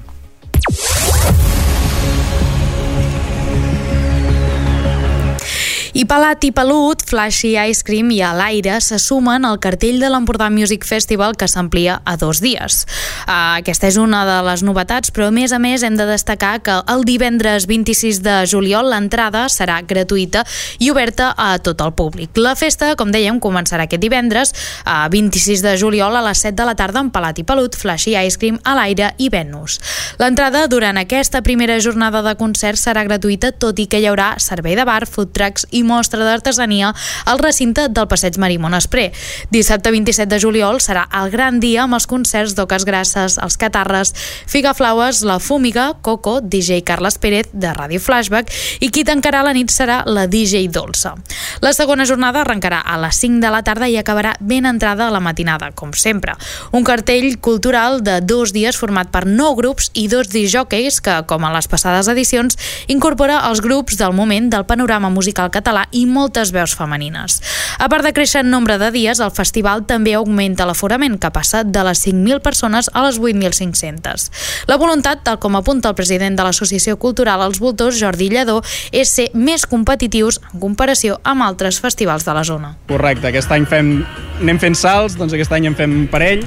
S1: I Pelat i Pelut, Flashy Ice Cream i a l'aire se sumen al cartell de l'Empordà Music Festival que s'amplia a dos dies. Uh, aquesta és una de les novetats, però a més a més hem de destacar que el divendres vint-i-sis de juliol l'entrada serà gratuïta i oberta a tot el públic. La festa, com dèiem, començarà aquest divendres, uh, vint-i-sis de juliol a les set de la tarda amb Pelat i Pelut, Flashy Ice Cream, a l'aire i Venus. L'entrada durant aquesta primera jornada de concert serà gratuïta, tot i que hi haurà servei de bar, food trucks i mostra d'artesania al recinte del Passeig Marimon Espré. Dissabte vint-i-set de juliol serà el gran dia amb els concerts d'Oques Grasses, els Catarres, Figaflaues, La Fúmiga, Coco, D J Carles Pérez de Ràdio Flashback i qui tancarà la nit serà la D J Dolça. La segona jornada arrencarà a les cinc de la tarda i acabarà ben entrada a la matinada, com sempre. Un cartell cultural de dos dies format per nou grups i dos disjòqueis que, com en les passades edicions, incorpora els grups del moment del panorama musical català i moltes veus femenines. A part de créixer en nombre de dies, el festival també augmenta l'aforament, que passa de les cinc mil persones a les vuit mil cinc-centes. La voluntat, tal com apunta el president de l'Associació Cultural Els Voltors, Jordi Lledó, és ser més competitius en comparació amb altres festivals de la zona.
S9: Correcte, aquest any fem, anem fent salts, doncs aquest any en fem un parell.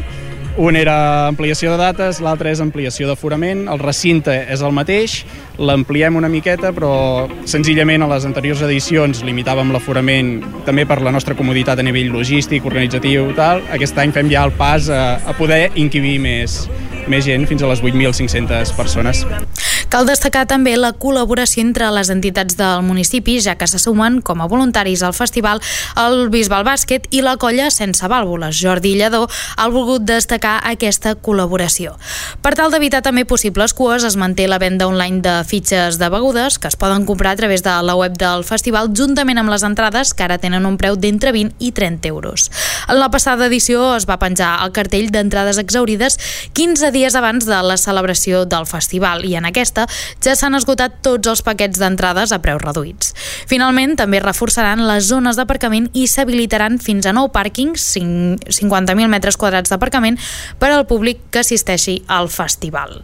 S9: Un era ampliació de dates, l'altre és ampliació d'aforament, el recinte és el mateix, l'ampliem una miqueta, però senzillament a les anteriors edicions limitàvem l'aforament també per la nostra comoditat a nivell logístic, organitzatiu i tal. Aquest any fem ja el pas a, a poder inquibir més, més gent, fins a les vuit mil cinc-centes persones.
S1: Cal destacar també la col·laboració entre les entitats del municipi, ja que se sumen com a voluntaris al festival el Bisbal Bàsquet i la colla Sense Vàlvules. Jordi Lledó ha volgut destacar aquesta col·laboració. Per tal d'evitar també possibles cues, es manté la venda online de fitxes de begudes que es poden comprar a través de la web del festival juntament amb les entrades, que ara tenen un preu d'entre vint i trenta euros. En la passada edició es va penjar el cartell d'entrades exaurides quinze dies abans de la celebració del festival i en aquesta ja s'han esgotat tots els paquets d'entrades a preus reduïts. Finalment, també reforçaran les zones d'aparcament i s'habilitaran fins a nou pàrquings, cinquanta mil metres quadrats d'aparcament, per al públic que assisteixi al festival.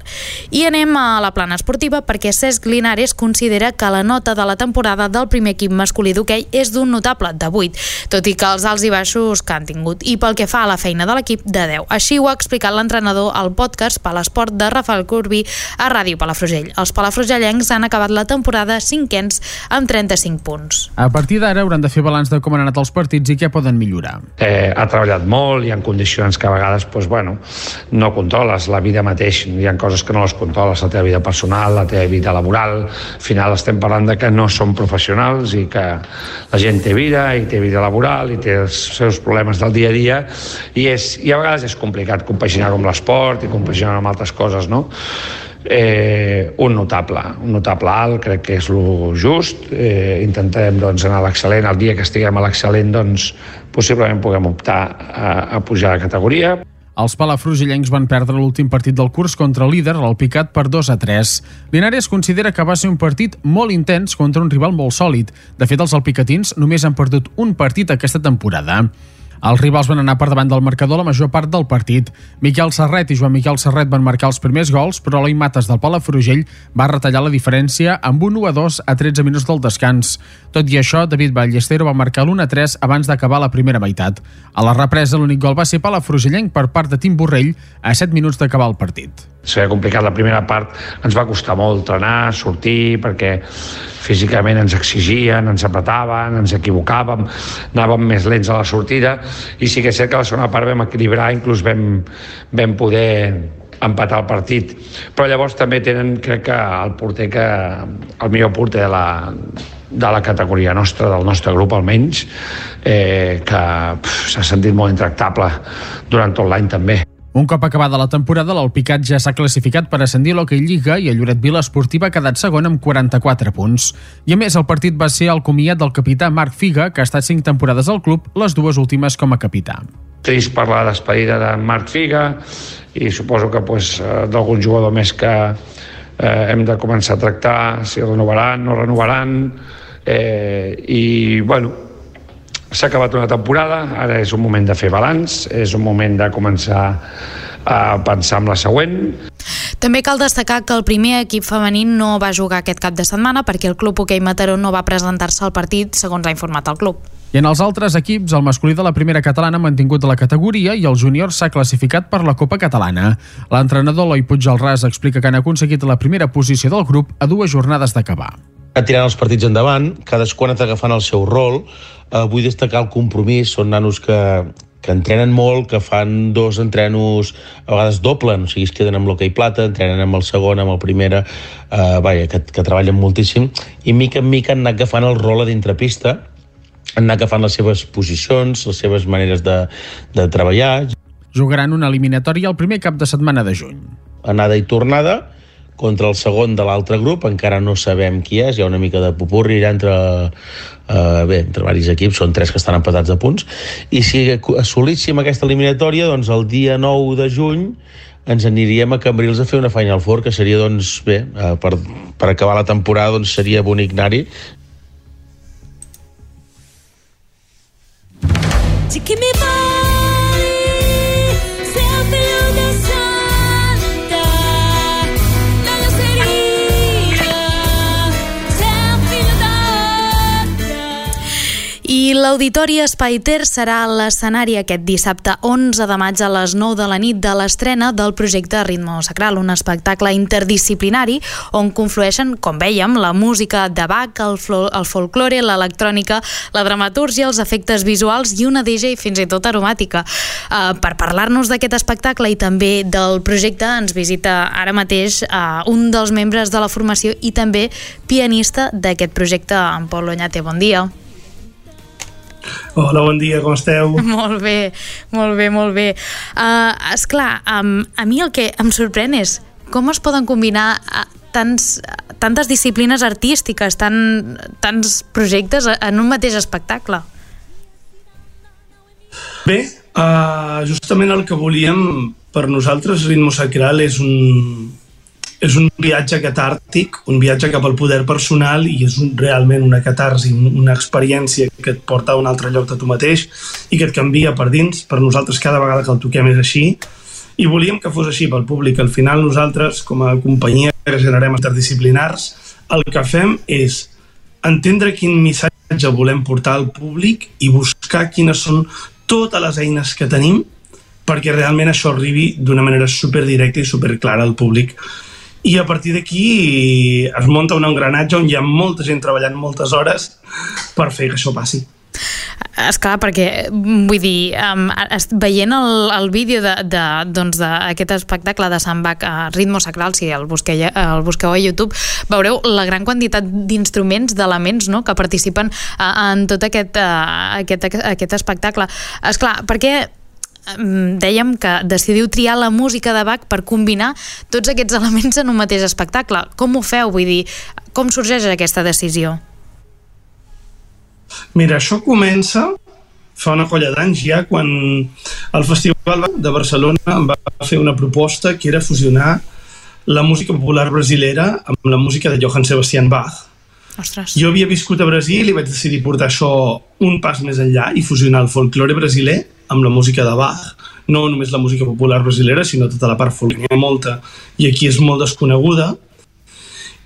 S1: I anem a la plana esportiva perquè Cesc Linares considera que la nota de la temporada del primer equip masculí d'hoquei és d'un notable de vuit, tot i que els alts i baixos que han tingut, i pel que fa a la feina de l'equip, de deu. Així ho ha explicat l'entrenador al podcast Palesport de Rafael Corbí a Ràdio Palafrugell. Els palafrugellencs han acabat la temporada cinquens amb trenta-cinc punts.
S4: A partir d'ara hauran de fer balanç de com han anat els partits i què poden millorar.
S10: Eh, ha treballat molt, hi ha condicions que a vegades doncs, bueno, no controles, la vida mateix, hi ha coses que no les controles, la teva vida personal, la teva vida laboral. Al final estem parlant de que no som professionals i que la gent té vida i té vida laboral i té els seus problemes del dia a dia i, és, i a vegades és complicat compaginar-ho amb l'esport i compaginar-ho amb altres coses, no? Eh, un notable, un notable alt, crec que és lo just. Eh, intentarem doncs, anar a l'excel·lent. El dia que estiguem a l'excel·lent doncs, possiblement puguem optar a, a pujar de categoria.
S4: Els palafrugellencs van perdre l'últim partit del curs contra el líder, l'Alpicat, per dos a tres. Linares considera que va ser un partit molt intens contra un rival molt sòlid. De fet, els alpicatins només han perdut un partit aquesta temporada. Els rivals van anar per davant del marcador la major part del partit. Miquel Serret i Joan Miquel Serret van marcar els primers gols, però Eloi Mates del Palafrugell va retallar la diferència amb un u a dos a tretze minuts del descans. Tot i això, David Ballestero va marcar l'u a tres abans d'acabar la primera meitat. A la represa, l'únic gol va ser palafrugellenc per part de Tim Borrell a set minuts d'acabar el partit.
S10: S'ha complicat la primera part, ens va costar molt entrenar, sortir, perquè físicament ens exigien, ens apretaven, ens equivocàvem, anàvem més lents a la sortida, i sí que és cert que a la segona part vam equilibrar, inclús vam, vam poder empatar el partit. Però llavors també tenen, crec que el porter que, el millor porter de la, de la categoria nostra, del nostre grup almenys, eh, que s'ha sentit molt intractable durant tot l'any també.
S4: Un cop acabada la temporada, l'Alpicat ja s'ha classificat per ascendir a l'Hockey Lliga i el Lloret Vila Esportiva ha quedat segon amb quaranta-quatre punts. I a més, el partit va ser el comiat del capità Marc Figa, que ha estat cinc temporades al club, les dues últimes com a capità.
S10: Trist per la despedida de Marc Figa i suposo que pues, d'algun jugador més que eh, hem de començar a tractar si renovaran, no renovaran, eh, i bueno, s'ha acabat una temporada, ara és un moment de fer balanç, és un moment de començar a pensar en la següent.
S1: També cal destacar que el primer equip femení no va jugar aquest cap de setmana perquè el Club Hoquei Mataró no va presentar-se al partit, segons ha informat el club.
S4: I en els altres equips, el masculí de la primera catalana ha mantingut la categoria i el júnior s'ha classificat per la Copa Catalana. L'entrenador Eloi Puigdelràs explica que han aconseguit la primera posició del grup a dues jornades d'acabar.
S11: Tirant els partits endavant, cadascú ha anat agafant el seu rol. Eh, vull destacar el compromís, són nanos que, que entrenen molt, que fan dos entrenos, a vegades doblen, o sigui, es queden amb l'hoquei plata, entrenen amb el segon, amb el primera, eh, vaja, que, que treballen moltíssim, i mica en mica han anat agafant el rol a dintre pista, han anat agafant les seves posicions, les seves maneres de, de treballar.
S4: Jugaran una eliminatòria el primer cap de setmana de juny.
S11: Anada i tornada, contra el segon de l'altre grup, encara no sabem qui és, hi ha una mica de pupurri entre, eh, bé, entre diversos equips, són tres que estan empatats a punts, i si assolíssim aquesta eliminatòria, doncs el dia nou de juny ens aniríem a Cambrils a fer una Final Four, que seria, doncs, bé, eh, per, per acabar la temporada, doncs seria bonic anar-hi.
S1: I l'Auditori Espai Ter serà l'escenari aquest dissabte onze de maig a les nou de la nit de l'estrena del projecte Ritmo Sacral, un espectacle interdisciplinari on conflueixen, com vèiem, la música de Bach, el, el folklore, l'electrònica, la dramatúrgia, els efectes visuals i una D J fins i tot aromàtica. Uh, per parlar-nos d'aquest espectacle i també del projecte ens visita ara mateix uh, un dels membres de la formació i també pianista d'aquest projecte, en Pol Oñate. Bon dia.
S12: Hola, bon dia, com esteu?
S1: Molt bé, molt bé, molt bé. Uh, esclar, um, a mi el que em sorprèn és com es poden combinar uh, tants, uh, tantes disciplines artístiques, tan, tants projectes en un mateix espectacle.
S12: Bé, uh, justament el que volíem per nosaltres, Ritmo Sacral és un... és un viatge catàrtic, un viatge cap al poder personal i és un, realment una catarsi, una experiència que et porta a un altre lloc de tu mateix i que et canvia per dins. Per nosaltres cada vegada que el toquem és així i volíem que fos així pel públic. Al final nosaltres, com a companyia que generem interdisciplinars, el que fem és entendre quin missatge volem portar al públic i buscar quines són totes les eines que tenim perquè realment això arribi d'una manera superdirecta i superclara al públic. I a partir d'aquí es munta un engranatge on hi ha molta gent treballant moltes hores per fer que això passi.
S1: Esclar, perquè, vull dir, um, veient el, el vídeo d'aquest doncs, espectacle de Sant Bach a Ritmo Sacral, si el busqueu, el busqueu a YouTube, veureu la gran quantitat d'instruments, d'elements, no?, que participen uh, en tot aquest, uh, aquest, aquest espectacle. Esclar, perquè dèiem que decidiu triar la música de Bach per combinar tots aquests elements en un mateix espectacle. Com ho feu? Vull dir, com sorgeix aquesta decisió?
S12: Mira, això comença fa una colla d'anys ja, quan el Festival de Barcelona va fer una proposta que era fusionar la música popular brasilera amb la música de Johann Sebastian Bach.
S1: Ostres.
S12: Jo havia viscut a Brasil i vaig decidir portar això un pas més enllà i fusionar el folklore brasiler amb la música de Bach. No només la música popular brasilera, sinó tota la part folklore. N'hi ha molta i aquí és molt desconeguda.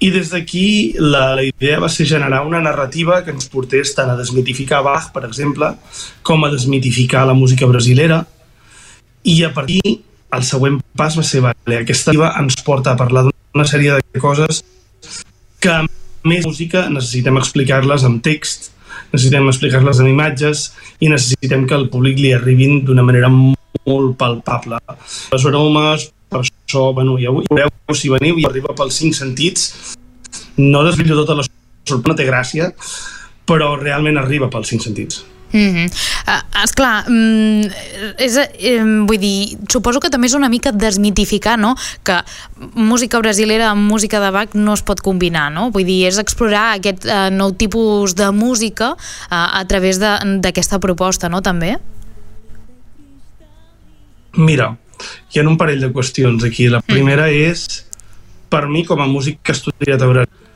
S12: I des d'aquí la, la idea va ser generar una narrativa que ens portés tant a desmitificar Bach, per exemple, com a desmitificar la música brasilera. I a partir el següent pas va ser, vale, aquesta narrativa ens porta a parlar d'una sèrie de coses que a més música necessitem explicar-les amb text, necessitem explicar-les amb imatges i necessitem que al públic li arribin d'una manera molt palpable. Les aromes, per això, bueno, ja ho veureu si veniu i arriba pels cinc sentits. No desvetllo tota la sorpresa, no té gràcia, però realment arriba pels cinc sentits.
S1: Mm-hmm. uh, esclar, mm, és, eh, vull dir, suposo que també és una mica desmitificar, no?, que música brasilera amb música de Bach no es pot combinar, no? Vull dir, és explorar aquest uh, nou tipus de música uh, a través d'aquesta proposta, no?, també?
S12: Mira, hi ha un parell de qüestions aquí. La primera mm. és, per mi, com a músic que he estudiat a Brasil,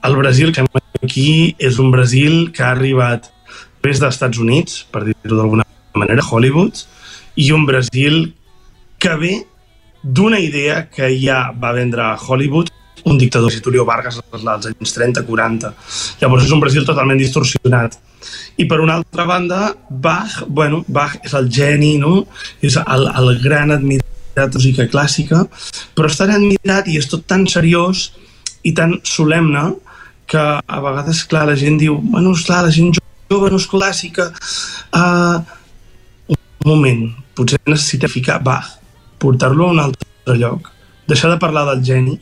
S12: el Brasil que aquí és un Brasil que ha arribat des dels Estats Units, per dir-ho d'alguna manera, Hollywood, i un Brasil que ve d'una idea que ja va vendre a Hollywood un dictador, Getúlio Vargas, als anys trenta quaranta. Llavors és un Brasil totalment distorsionat. I per una altra banda, Bach, bueno, Bach és el geni, no? És el, el gran admirat de la música clàssica, però és tan admirat i és tot tan seriós i tan solemne que a vegades, clar, la gent diu, bueno, esclar, la gent jove no és clàssica. Uh, un moment, potser necessita ficar Bach, portar-lo a un altre lloc, deixar de parlar del geni,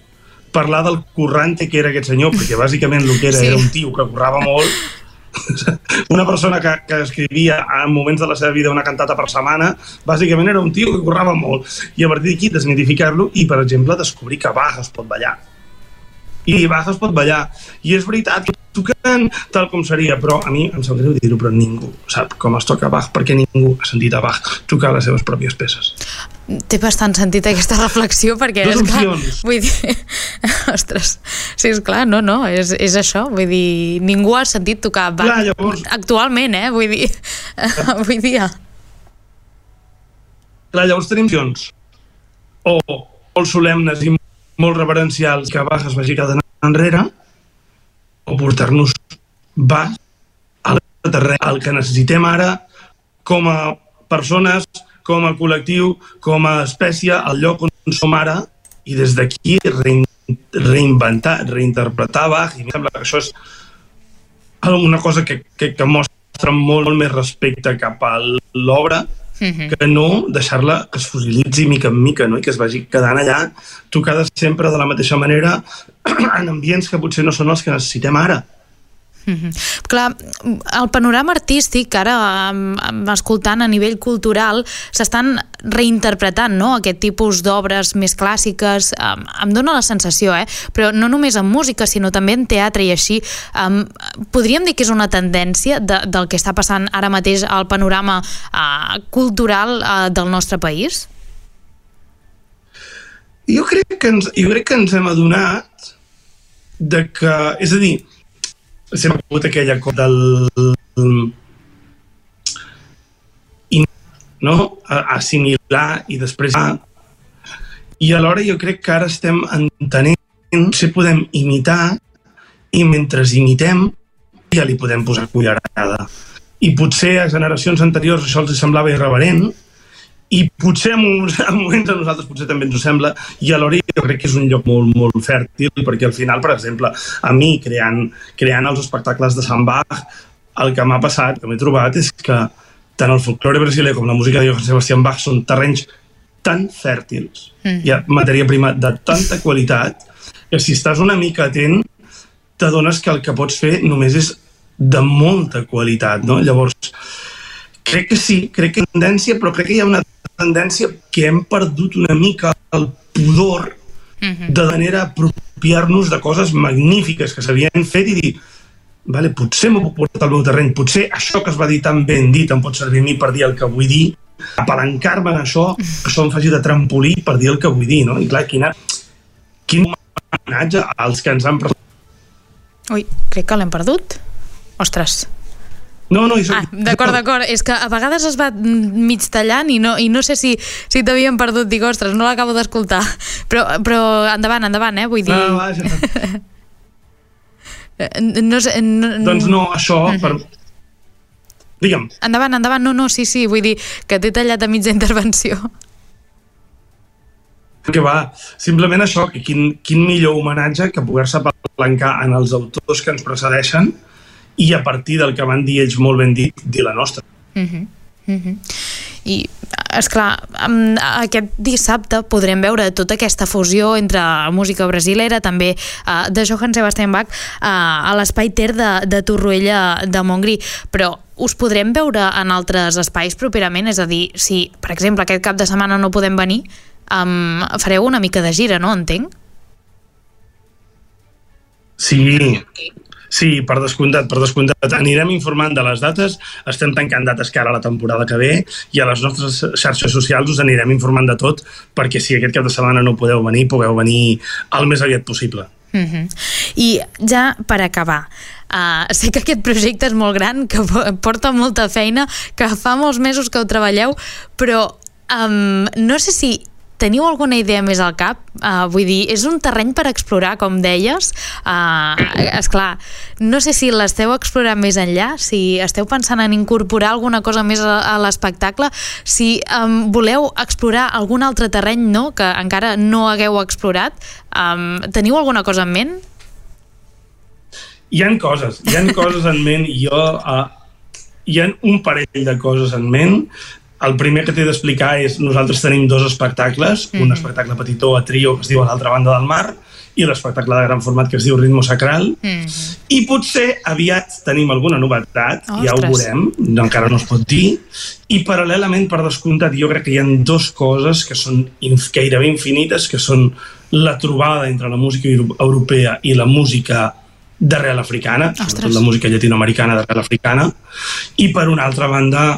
S12: parlar del currante que era aquest senyor, perquè bàsicament el que era sí. era un tio que currava molt, una persona que, que escrivia en moments de la seva vida una cantata per setmana, bàsicament era un tio que currava molt, i a partir d'aquí desmitificar-lo i, per exemple, descobrir que Bach es pot ballar. I Bach es pot ballar. I és veritat, tocant tal com seria, però a mi em sap greu dir-ho, però ningú sap com es toca Bach, perquè ningú ha sentit a Bach tocar les seves pròpies peces.
S1: Té bastant sentit aquesta reflexió, perquè és clar, vull dir, ostres, sí, és clar, no, no, és, és això, vull dir, ningú ha sentit tocar Bach clar, llavors... actualment, eh, vull dir, avui dia.
S12: Clar, llavors tenim opcions, o molt solemnes i molt reverencials que Bach es vagi quedant enrere, o portar-nos Bach al terreny, el que necessitem ara com a persones, com a col·lectiu, com a espècie, al lloc on som ara, i des d'aquí reinventar, reinterpretar Bach, i em sembla que això és una cosa que, que, que mostra molt, molt més respecte cap a l'obra, mm-hmm. que no deixar-la que es fosilitzi mica en mica, no? I que es vagi quedant allà, tocada sempre de la mateixa manera, en ambients que potser no són els que necessitem ara.
S1: Mm-hmm. Clar, el panorama artístic ara, escoltant a nivell cultural, s'estan reinterpretant, no?, aquest tipus d'obres més clàssiques. Um, em dóna la sensació, eh? Però no només en música, sinó també en teatre i així. Um, podríem dir que és una tendència de, del que està passant ara mateix al panorama uh, cultural uh, del nostre país?
S12: Jo crec que ens, jo crec que ens hem adonat de que, és a dir, sempre ha hagut aquella cosa del no? assimilar i després i alhora jo crec que ara estem entenent si podem imitar i mentre imitem ja li podem posar cullerada i potser a generacions anteriors això els semblava irreverent i potser en moments a nosaltres potser també ens ho sembla i alhora jo crec que és un lloc molt, molt fèrtil perquè al final, per exemple, a mi creant, creant els espectacles de Sant Bach el que m'ha passat, que m'he trobat és que tant el folklore brasiler com la música de Johann Sebastian Bach són terrenys tan fèrtils, mm. hi ha matèria prima de tanta qualitat que si estàs una mica atent t'adones que el que pots fer només és de molta qualitat, no? Llavors crec que sí, crec que hi ha tendència, però crec que hi ha una tendència que hem perdut una mica el pudor mm-hmm. de manera a apropiar-nos de coses magnífiques que s'havien fet i dir, vale, potser m'ho puc portar al meu terreny, potser això que es va dir tan ben dit em pot servir a mi per dir el que vull dir, apalancar-me en això, que això em faci de trampolí per dir el que vull dir, no? I clar, quina, quin homenatge als que ens han presentat.
S1: Ui, crec que l'hem perdut. Ostres.
S12: No, no,
S1: ah, d'acord, d'acord, és que a vegades es va mig tallant i no, i no sé si, si t'havien perdut, dic, ostres, no l'acabo d'escoltar, però, però endavant, endavant, eh, vull dir...
S12: No, vaja.
S1: no sé, no,
S12: doncs no, això, uh-huh. per... digue'm.
S1: Endavant, endavant, no, no, sí, sí, vull dir que t'he tallat a mitja intervenció.
S12: Que va, simplement això, que quin, quin millor homenatge que poder-se apalancar en els autors que ens precedeixen i a partir del que van dir ells molt ben dit, dir la nostra.
S1: Uh-huh. Uh-huh. I, esclar, aquest dissabte podrem veure tota aquesta fusió entre música brasilera, també uh, de Johann Sebastian Bach, uh, a l'Espai Ter de, de Torroella de Montgrí, però us podrem veure en altres espais properament? És a dir, si, per exemple, aquest cap de setmana no podem venir, um, fareu una mica de gira, no? Entenc?
S12: Sí, sí, per descomptat, per descomptat. Anirem informant de les dates, estem tancant dates cara a la temporada que ve i a les nostres xarxes socials us anirem informant de tot perquè si aquest cap de setmana no podeu venir, pugueu venir el més aviat possible.
S1: Uh-huh. I ja per acabar, uh, sé que aquest projecte és molt gran, que porta molta feina, que fa molts mesos que ho treballeu, però um, no sé si teniu alguna idea més al cap? Uh, vull dir, és un terreny per explorar, com deies. Uh, esclar, no sé si l'esteu explorant més enllà, si esteu pensant en incorporar alguna cosa més a, a l'espectacle, si um, voleu explorar algun altre terreny, no?, que encara no hagueu explorat. Um, teniu alguna cosa en ment?
S12: Hi ha coses, hi ha coses en ment, i jo, uh, hi ha un parell de coses en ment. El primer que t'he d'explicar és, nosaltres tenim dos espectacles, mm-hmm. un espectacle petitó a trio que es diu A l'altra banda del mar, i l'espectacle de gran format que es diu Ritmo Sacral, mm-hmm. i potser aviat tenim alguna novetat, Ostres. Ja ho veurem, encara no es pot dir, i paral·lelament, per descomptat, jo crec que hi ha dues coses que són gairebé infinites, que són la trobada entre la música europea i la música d'arrel africana, Ostres. Sobretot la música llatinoamericana d'arrel africana, i per una altra banda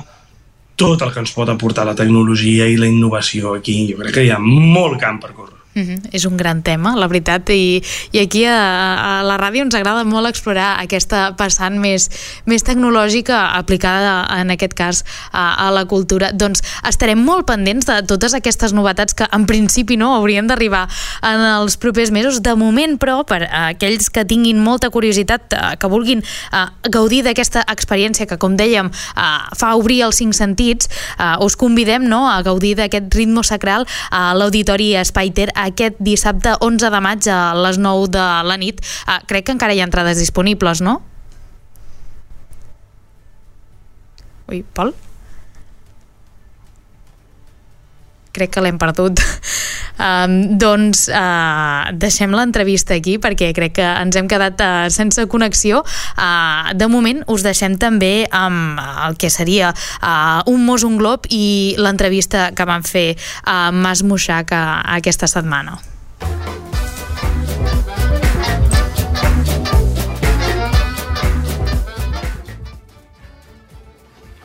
S12: tot el que ens pot aportar la tecnologia i la innovació aquí. Jo crec que hi ha molt camp per córrer.
S1: Mm-hmm. És un gran tema, la veritat, i, i aquí a, a la ràdio ens agrada molt explorar aquesta vessant més, més tecnològica aplicada en aquest cas a, a la cultura. Doncs estarem molt pendents de totes aquestes novetats que en principi no haurien d'arribar en els propers mesos. De moment, però, per a aquells que tinguin molta curiositat, que vulguin uh, gaudir d'aquesta experiència que, com dèiem, uh, fa obrir els cinc sentits, uh, us convidem, no?, a gaudir d'aquest Ritmo Sacral a l'Auditori Espai Ter aquest dissabte onze de maig a les nou de la nit. Uh, crec que encara hi ha entrades disponibles, no? Ui, Pol? Crec que l'hem perdut. Um, doncs uh, deixem l'entrevista aquí perquè crec que ens hem quedat uh, sense connexió. Uh, de moment us deixem també amb el que seria uh, un mos, un glob i l'entrevista que van fer a Mas Mushak uh, aquesta setmana.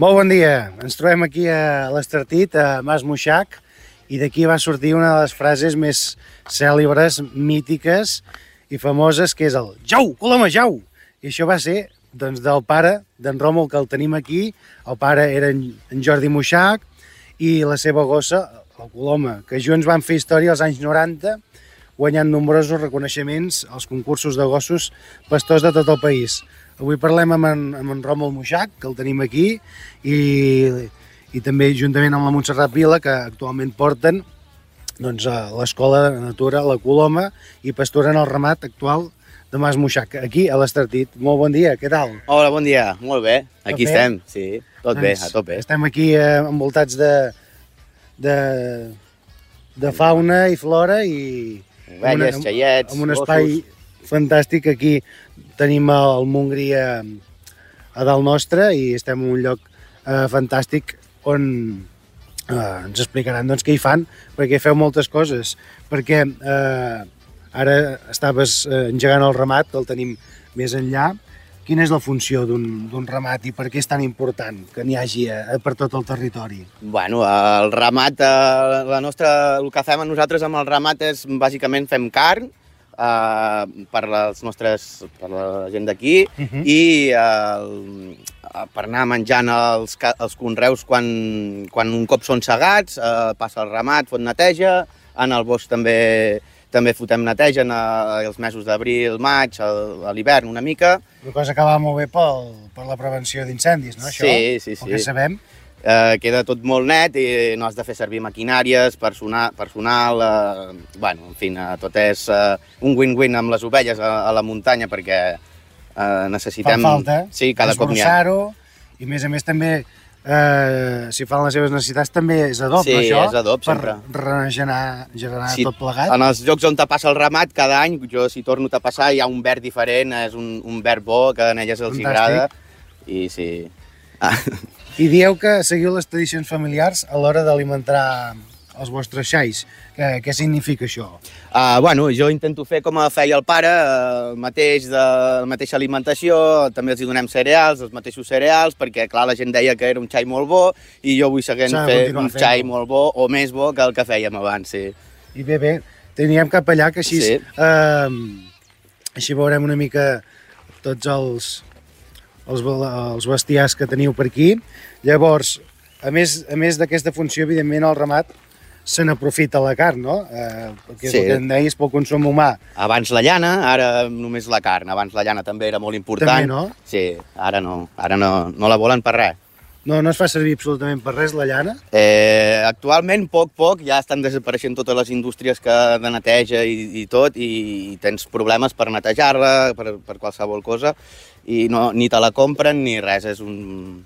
S13: Molt bon dia, ens trobem aquí a l'Estartit, a Mas Mushak, i d'aquí va sortir una de les frases més cèlebres, mítiques i famoses, que és el «Jau, Coloma, jau!». I això va ser doncs, del pare d'en Ròmul, que el tenim aquí. El pare era en Jordi Mushak i la seva gossa, el Coloma, que junts van fer història als anys noranta, guanyant nombrosos reconeixements als concursos de gossos pastors de tot el país. Avui parlem amb en, amb en Ròmul Mushak, que el tenim aquí, i... i també juntament amb la Montserrat Vila, que actualment porten doncs, l'Escola de Natura, la Coloma, i pasturen el ramat actual de Mas Mushak, aquí a l'Estartit. Molt bon dia, què tal?
S14: Hola, bon dia, molt bé, aquí tot estem, bé? Sí, tot doncs, bé, a tope.
S13: Estem aquí eh, envoltats de, de, de fauna i flora i...
S14: Ovelles, xaiets,
S13: amb un espai gossos. Fantàstic. Aquí tenim el Montgrí a, a dalt nostre i estem en un lloc eh, fantàstic on eh, ens explicaran doncs, què hi fan, perquè feu moltes coses, perquè eh, ara estaves eh, engegant el ramat, que el tenim més enllà. Quina és la funció d'un ramat i per què és tan important que n'hi hagi eh, per tot el territori?
S14: Bueno, el ramat, eh, la nostra, el que fem nosaltres amb el ramat és bàsicament fem carn eh, per, les nostres, per la gent d'aquí uh-huh. i eh, per anar menjant els, els conreus quan, quan un cop són segats, eh, passa el ramat, fot neteja, en el bosc també, també fotem neteja en els mesos d'abril, maig, a l'hivern una mica.
S13: Una cosa que va molt bé pel, per la prevenció d'incendis, no, això?
S14: Sí, sí, sí.
S13: El que sabem.
S14: Eh, queda tot molt net i no has de fer servir maquinàries, personal, personal eh, bueno, en fi, eh, tot és eh, un win-win amb les ovelles a, a la muntanya perquè Uh, necessitem...
S13: Fan falta,
S14: sí, cada cop n'hi ha.
S13: I a més a més també, uh, si fan les seves necessitats, també és adob,
S14: sí,
S13: no, això?
S14: Sí, és adob,
S13: per
S14: sempre.
S13: Per regenerar, generar sí, tot plegat.
S14: En els llocs on te passa el ramat, cada any, jo si torno a passar, hi ha un verd diferent, és un, un verd bo, que a elles els hi agrada. I sí...
S13: Ah. I dieu que seguiu les tradicions familiars a l'hora d'alimentar els vostres xais. Què, què significa això?
S14: Uh, bueno, jo intento fer com feia el pare, el mateix de la mateixa alimentació, també els hi donem cereals, els mateixos cereals, perquè clar, la gent deia que era un xai molt bo i jo vull seguir fent un xai molt bo o més bo que el que fèiem abans, sí.
S13: I bé, bé, teníem cap allà que així, sí. eh, així veurem una mica tots els, els, els bestiars que teniu per aquí. Llavors, a més, a més d'aquesta funció, evidentment, el ramat se n'aprofita la carn, no? Eh, perquè és
S14: Sí.
S13: el que em deies pel consum humà.
S14: Abans la llana, ara només la carn. Abans la llana també era molt important.
S13: També, no?
S14: Sí, ara no. Ara no, no la volen per res.
S13: No, no es fa servir absolutament per res, la llana?
S14: Eh, actualment, poc, poc, ja estan desapareixent totes les indústries que de neteja i, i tot, i, i tens problemes per netejar-la, per, per qualsevol cosa, i no, ni te la compren ni res. És un,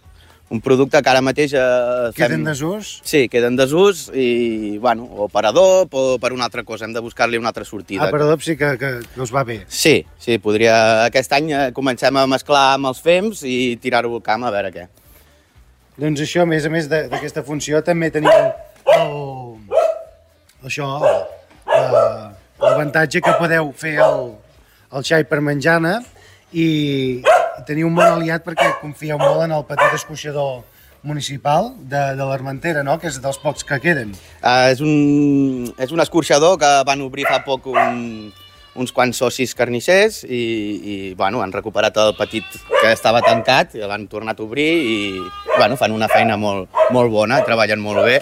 S14: un producte que ara mateix... Eh, fem...
S13: Queden desús?
S14: Sí, queden desús, i, bueno, o per adob o per una altra cosa. Hem de buscar-li una altra sortida.
S13: Ah, per adob sí que, que, que us va bé.
S14: Sí, sí, podria... Aquest any eh, comencem a mesclar amb els fems i tirar-ho al camp a veure què.
S13: Doncs això, a més a més de- d'aquesta funció, també teniu el, això, la- l'avantatge que podeu fer el, el xai per menjana i, i teniu un bon aliat perquè confieu molt en el petit escorxador municipal de, de l'Armentera, no? Que és dels pocs que queden.
S14: Uh, és, un, és un escorxador que van obrir fa poc un, uns quants socis carnissers i, i bueno, han recuperat el petit que estava tancat, i l'han tornat a obrir i bueno, fan una feina molt, molt bona, treballen molt bé.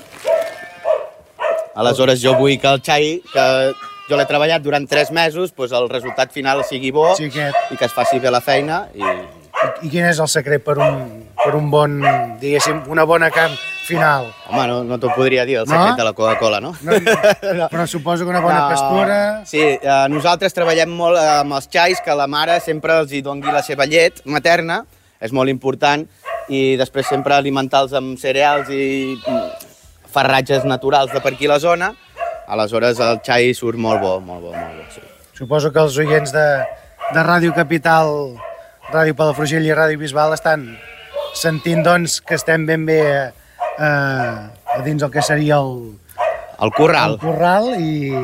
S14: Aleshores jo vull que el xai, que jo l'he treballat durant tres mesos, doncs el resultat final sigui bo
S13: sí, que...
S14: i que es faci bé la feina. I,
S13: I quin és el secret per un, per un bon, diguéssim, una bona carn final?
S14: Home, no, no t'ho podria dir, el secret no? de la Coca-Cola, no?
S13: No, no? Però suposo que una bona no. pastura...
S14: Sí, eh, nosaltres treballem molt amb els xais, que la mare sempre els hi dongui la seva llet materna, és molt important, i després sempre alimentar-los amb cereals i farratges naturals de per aquí la zona, aleshores el xai surt molt bo, molt bo, molt bo. Sí.
S13: Suposo que els oients de, de Ràdio Capital, Ràdio Palafrugell i Ràdio Bisbal estan sentint doncs, que estem ben bé eh, a dins el que seria el...
S14: El corral.
S13: El corral i,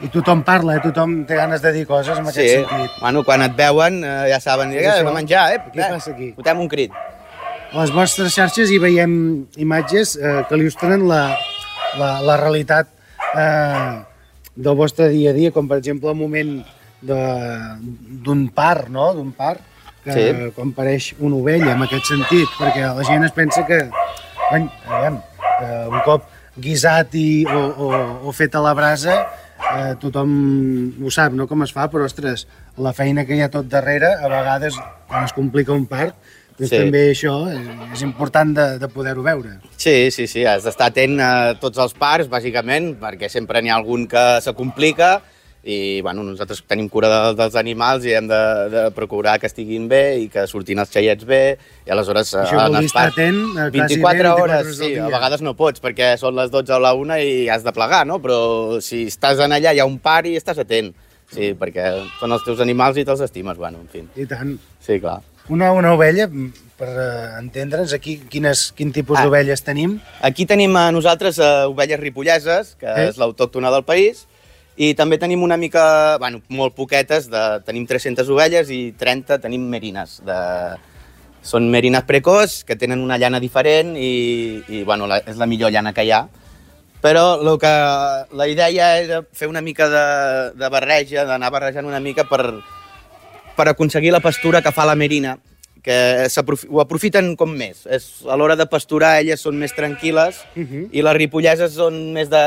S13: i tothom parla, eh? Tothom té ganes de dir coses en aquest
S14: sí.
S13: sentit.
S14: Bueno, quan et veuen eh, ja saben, eh, hem de menjar, eh?
S13: Què passa aquí?
S14: Fotem un crit.
S13: A les vostres xarxes hi veiem imatges eh, que il·lustren la, la, la realitat eh, del vostre dia a dia, com per exemple el moment d'un part, no? D'un part, que sí. quan apareix una ovella, en aquest sentit, perquè la gent es pensa que, ben, aviam, que un cop guisat i, o, o, o fet a la brasa, eh, tothom ho sap, no?, com es fa, però, ostres, la feina que hi ha tot darrere, a vegades, quan es complica un part, doncs sí. també això és, és important de, de poder-ho veure.
S14: Sí, sí, sí, has d'estar atent a tots els parts, bàsicament, perquè sempre n'hi ha algun que se complica i, bueno, nosaltres tenim cura de, dels animals i hem de, de procurar que estiguin bé i que surtin els xaiets bé i aleshores...
S13: Això vol dir estar atent
S14: vint-i-quatre hores, sí, a vegades no pots perquè són les dotze o la una i has de plegar, no? Però si estàs en allà hi ha un par i estàs atent, sí, perquè són els teus animals i te'ls estimes, bueno, en fi.
S13: I tant.
S14: Sí, clar.
S13: Una, una ovella, per entendre'ns, aquí quines, quin tipus ah. d'ovelles tenim?
S14: Aquí tenim a nosaltres uh, ovelles ripolleses, que eh? és l'autòctona del país, i també tenim una mica, bueno, molt poquetes, de, tenim tres-centes ovelles i trenta tenim merines. De, són merines precoç, que tenen una llana diferent i, i bueno, la, és la millor llana que hi ha. Però lo que, la idea era fer una mica de, de barreja, d'anar barrejant una mica per... per aconseguir la pastura que fa la merina, que ho aprofiten com més. És, a l'hora de pasturar elles són més tranquil·les uh -huh. i les ripolleses són més, de,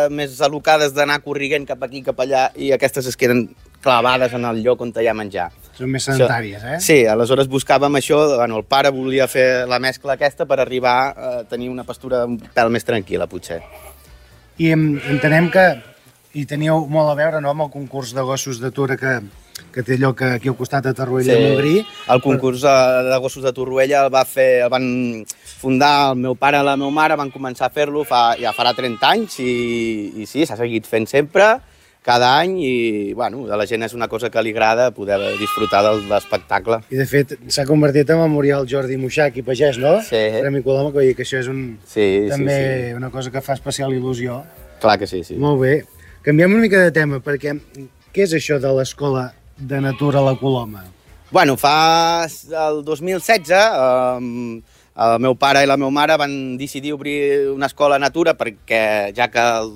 S14: més al·locades d'anar corriguent cap aquí, cap allà, i aquestes es queden clavades en el lloc on hi ha menjar.
S13: Són més sedentàries, eh?
S14: Sí, aleshores buscàvem això, bueno, el pare volia fer la mescla aquesta per arribar a tenir una pastura un pèl més tranquil·la, potser.
S13: I entenem que hi teníeu molt a veure, no?, amb el concurs de gossos d'atura que que té lloc aquí al costat de Torroella, sí. i Montgrí.
S14: El concurs de gossos de Torroella el, va fer, el van fundar el meu pare i la meva mare, van començar a fer-lo fa, ja farà trenta anys i, i sí, s'ha seguit fent sempre, cada any, i bueno, a la gent és una cosa que li agrada poder disfrutar de l'espectacle.
S13: I de fet s'ha convertit en memorial Jordi Muixach i Pagès, no?
S14: Sí.
S13: Premi Coloma, que, que això és un,
S14: sí,
S13: també
S14: sí, sí.
S13: una cosa que fa especial il·lusió.
S14: Clar que sí, sí.
S13: Molt bé. Canviem una mica de tema, perquè què és això de l'escola de natura a la Coloma?
S14: Bueno, fa el dos mil setze eh, el meu pare i la meva mare van decidir obrir una escola natura perquè ja que el,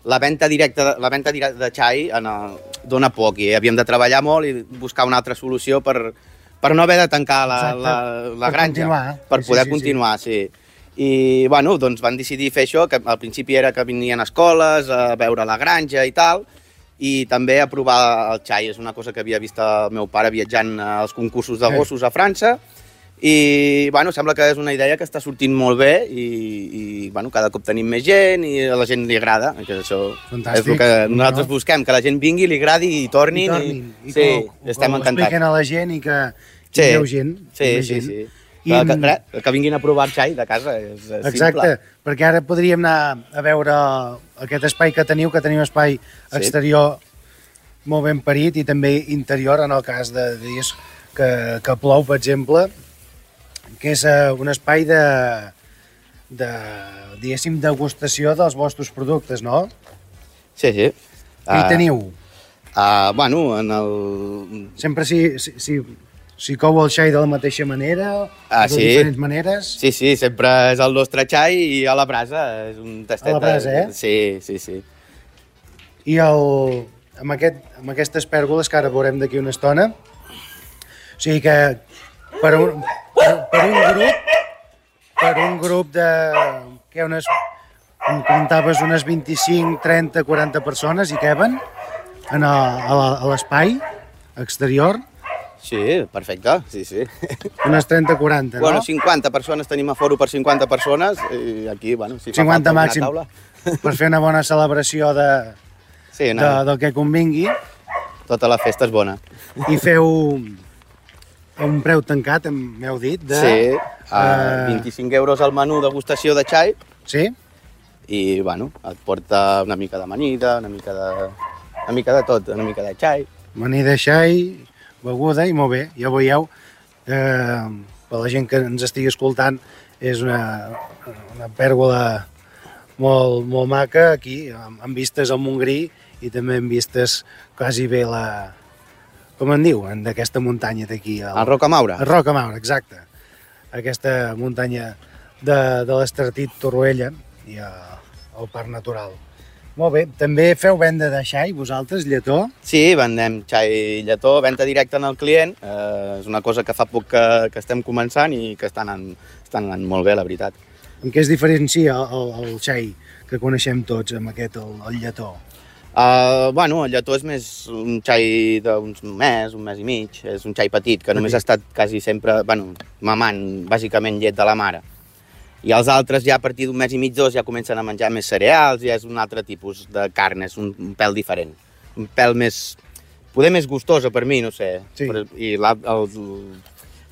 S14: la venda directa, la venda directa de xai en el, dona poc i havíem de treballar molt i buscar una altra solució per, per no haver de tancar la, la, la
S13: per
S14: granja,
S13: continuar.
S14: per
S13: sí,
S14: poder
S13: sí,
S14: continuar, sí. sí. I, bueno, doncs van decidir fer això, que al principi era que venien a escoles, a veure la granja i tal, i també a provar el xai. És una cosa que havia vist el meu pare viatjant als concursos de gossos a França, i, bueno, sembla que és una idea que està sortint molt bé i, i bueno, cada cop tenim més gent i a la gent li agrada. Que això
S13: Fantàstic.
S14: És el que nosaltres no? busquem, que la gent vingui, li agradi i tornin.
S13: I tornin. I,
S14: I sí,
S13: com,
S14: estem
S13: com
S14: encantats.
S13: Ho expliquen a la gent i que hi
S14: sí.
S13: veu gent.
S14: Sí,
S13: hi
S14: sí,
S13: gent.
S14: sí.
S13: I...
S14: Que, que, que vinguin a provar el xai de casa, és, és simple.
S13: Exacte, perquè ara podríem anar a veure aquest espai que teniu, que teniu espai exterior sí. molt ben parit i també interior, en el cas de dies que, que plou, per exemple, que és uh, un espai de, de, diguéssim, degustació dels vostres productes, no?
S14: Sí, sí.
S13: Què hi teniu?
S14: Uh, bueno, en el...
S13: Sempre si, si, si, si cou el xai de la mateixa manera,
S14: ah,
S13: de
S14: sí.
S13: diferents maneres...
S14: Sí, sí, sempre és el nostre xai i a la brasa, és un tastet...
S13: A la brasa, eh?
S14: Sí, sí, sí.
S13: I el, amb, aquest, amb aquestes pèrgoles, que ara veurem d'aquí una estona, o sigui que per un, per, per un grup, per un grup de, que unes, com comentaves, unes vint-i-cinc, trenta, quaranta persones hi queben en a, a l'espai exterior.
S14: Sí, perfecte, sí, sí.
S13: Unes trenta, quaranta, no?
S14: Bueno, cinquanta persones, tenim aforo per cinquanta persones i aquí, bueno, si fa
S13: cinquanta
S14: falta
S13: màxim,
S14: una taula...
S13: per fer una bona celebració de,
S14: sí, no.
S13: de, del que convingui.
S14: Tota la festa és bona.
S13: I feu un preu tancat, m'heu dit, de...
S14: Sí, uh, vint-i-cinc euros al menú degustació de xai.
S13: Sí?
S14: I, bueno, et porta una mica d'amanida, una mica de... una mica de tot, una mica de xai.
S13: Amanida, xai, beguda, i molt bé, ja ho veieu. Eh, per la gent que ens estigui escoltant, és una, una pèrgola molt, molt maca aquí, amb, amb vistes al Montgrí i també amb vistes quasi bé la... com en diuen, d'aquesta muntanya d'aquí.
S14: El, el Rocamaura.
S13: El Rocamaura, exacte. Aquesta muntanya de, de l'Estartit Torroella i el, el Parc Natural. Molt bé. També feu venda de xai, vosaltres, lletó?
S14: Sí, vendem xai i lletó, venda directa en el client. Eh, és una cosa que fa poc que, que estem començant i que està anant, està anant molt bé, la veritat.
S13: En què es diferencia el, el xai que coneixem tots amb aquest, el, el lletó?
S14: Uh, bueno, el lletó és més un xai d'uns mes, un mes i mig. És un xai petit, que només ha estat quasi sempre, bueno, mamant, bàsicament llet de la mare. I els altres ja a partir d'un mes i mig, dos, ja comencen a menjar més cereals, ja és un altre tipus de carn, és un, un pèl diferent. Un pèl més, poder més gustosa per mi, no sé.
S13: Sí.
S14: Però, I la, el,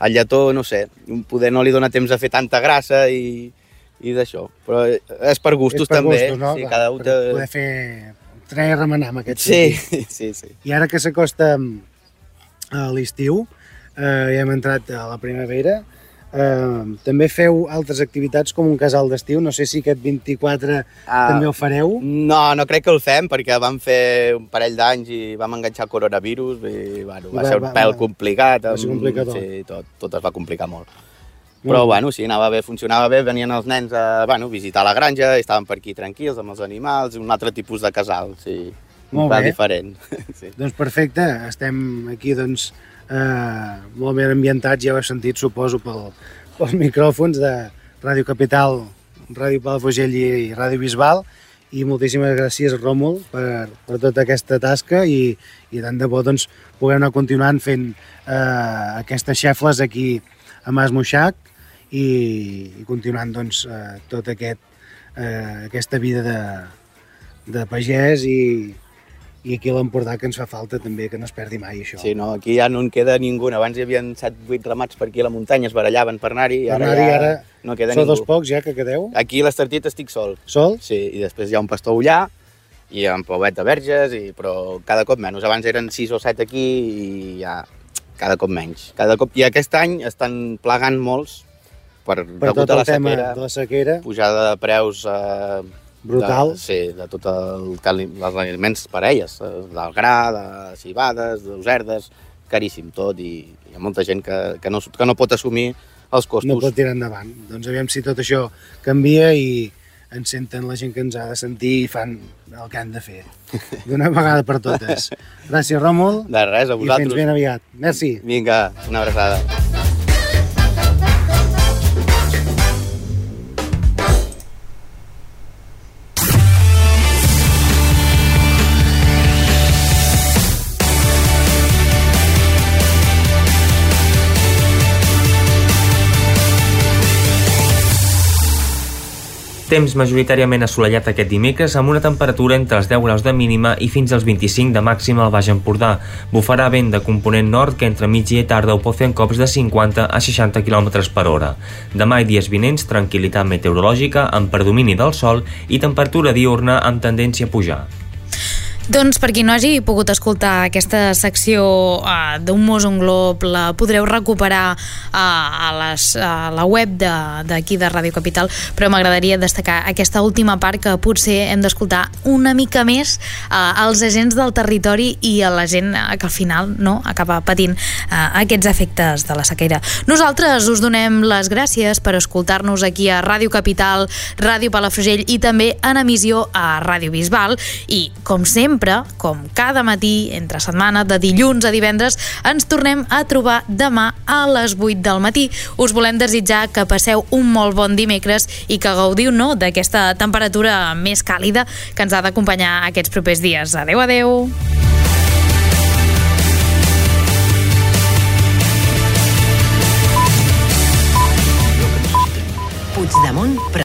S14: el lletó, no sé, poder no li dona temps a fer tanta grassa i, i d'això. Però és per gustos
S13: és per
S14: també.
S13: Gustos, no?
S14: Sí,
S13: Clar,
S14: cada un
S13: per
S14: té...
S13: poder fer... treure a remenar amb aquest
S14: sí,
S13: sentit.
S14: Sí, sí.
S13: I ara que s'acosta a l'estiu, eh, ja hem entrat a la primavera, eh, també feu altres activitats com un casal d'estiu, no sé si aquest vint-i-quatre
S14: ah,
S13: també ho fareu?
S14: No, no crec que el fem, perquè vam fer un parell d'anys i vam enganxar el coronavirus i bueno, va, va ser un pèl va, complicat.
S13: Va ser complicat.
S14: Sí, tot, tot es va complicar molt. Però, bueno, sí, anava bé, funcionava bé, venien els nens a bueno, visitar la granja, estaven per aquí tranquils amb els animals, un altre tipus de casal, sí, un pèl diferent. Sí.
S13: Doncs perfecte, estem aquí doncs, eh, molt ben ambientats, ja ho heu sentit, suposo, pel, pels micròfons de Ràdio Capital, Ràdio Palafrugell i, i Ràdio Bisbal, i moltíssimes gràcies, Ròmul, per, per tota aquesta tasca i, i tant de bo doncs, puguem anar continuant fent eh, aquestes xefles aquí a Mas Moixac, i, i continuant doncs, eh, tot aquest, eh, aquesta vida de, de pagès i, i aquí a l'Empordà que ens fa falta també, que no es perdi mai això.
S14: Sí, no, aquí ja no en queda ningú. Abans hi havia set vuit ramats per aquí a la muntanya, es barallaven per anar-hi, i ara,
S13: anar ja
S14: ara no queda
S13: sou
S14: ningú.
S13: dels pocs ja que quedeu?
S14: Aquí a l'Estartit estic sol.
S13: Sol?
S14: Sí, i després hi ha un pastor ullà i en Pauet de Verges, i, però cada cop menys. Abans eren sis o set aquí i ja cada cop menys. Cada cop... I aquest any estan plagant molts per,
S13: per tot
S14: a
S13: el
S14: la
S13: tema
S14: sequera,
S13: de la sequera.
S14: Pujada de preus... Eh,
S13: brutal.
S14: De, sí, de tots el, els aliments per a elles, del gra, de cibades, d'userdes, caríssim tot, i hi ha molta gent que, que, no, que no pot assumir els costos.
S13: No pot tirar endavant. Doncs aviam si tot això canvia i ens senten la gent que ens ha de sentir i fan el que han de fer. D'una vegada per totes. Gràcies, Ròmul.
S14: De res, a vosaltres.
S13: I fins ben aviat. Merci.
S14: Vinga, una abraçada.
S2: Temps majoritàriament assolellat aquest dimecres amb una temperatura entre els deu graus de mínima i fins als vint-i-cinc de màxima al Baix Empordà. Bufarà vent de component nord que entre migdia i tarda ho pot fer en cops de cinquanta a seixanta quilòmetres per hora. Demà i dies vinents, tranquil·litat meteorològica amb predomini del sol i temperatura diurna amb tendència a pujar.
S1: Doncs per qui no hagi pogut escoltar aquesta secció uh, d'un Mos un Glob, la podreu recuperar uh, a, les, a la web d'aquí de, de Ràdio Capital, però m'agradaria destacar aquesta última part que potser hem d'escoltar una mica més uh, als agents del territori i a la gent uh, que al final no acaba patint uh, aquests efectes de la sequera. Nosaltres us donem les gràcies per escoltar-nos aquí a Ràdio Capital, Ràdio Palafrugell i també en emissió a Ràdio Bisbal i, com sempre, com cada matí, entre setmana, de dilluns a divendres, ens tornem a trobar demà a les vuit del matí. Us volem desitjar que passeu un molt bon dimecres i que gaudiu no, d'aquesta temperatura més càlida que ens ha d'acompanyar aquests propers dies. Adeu, adeu!
S15: Puigdemont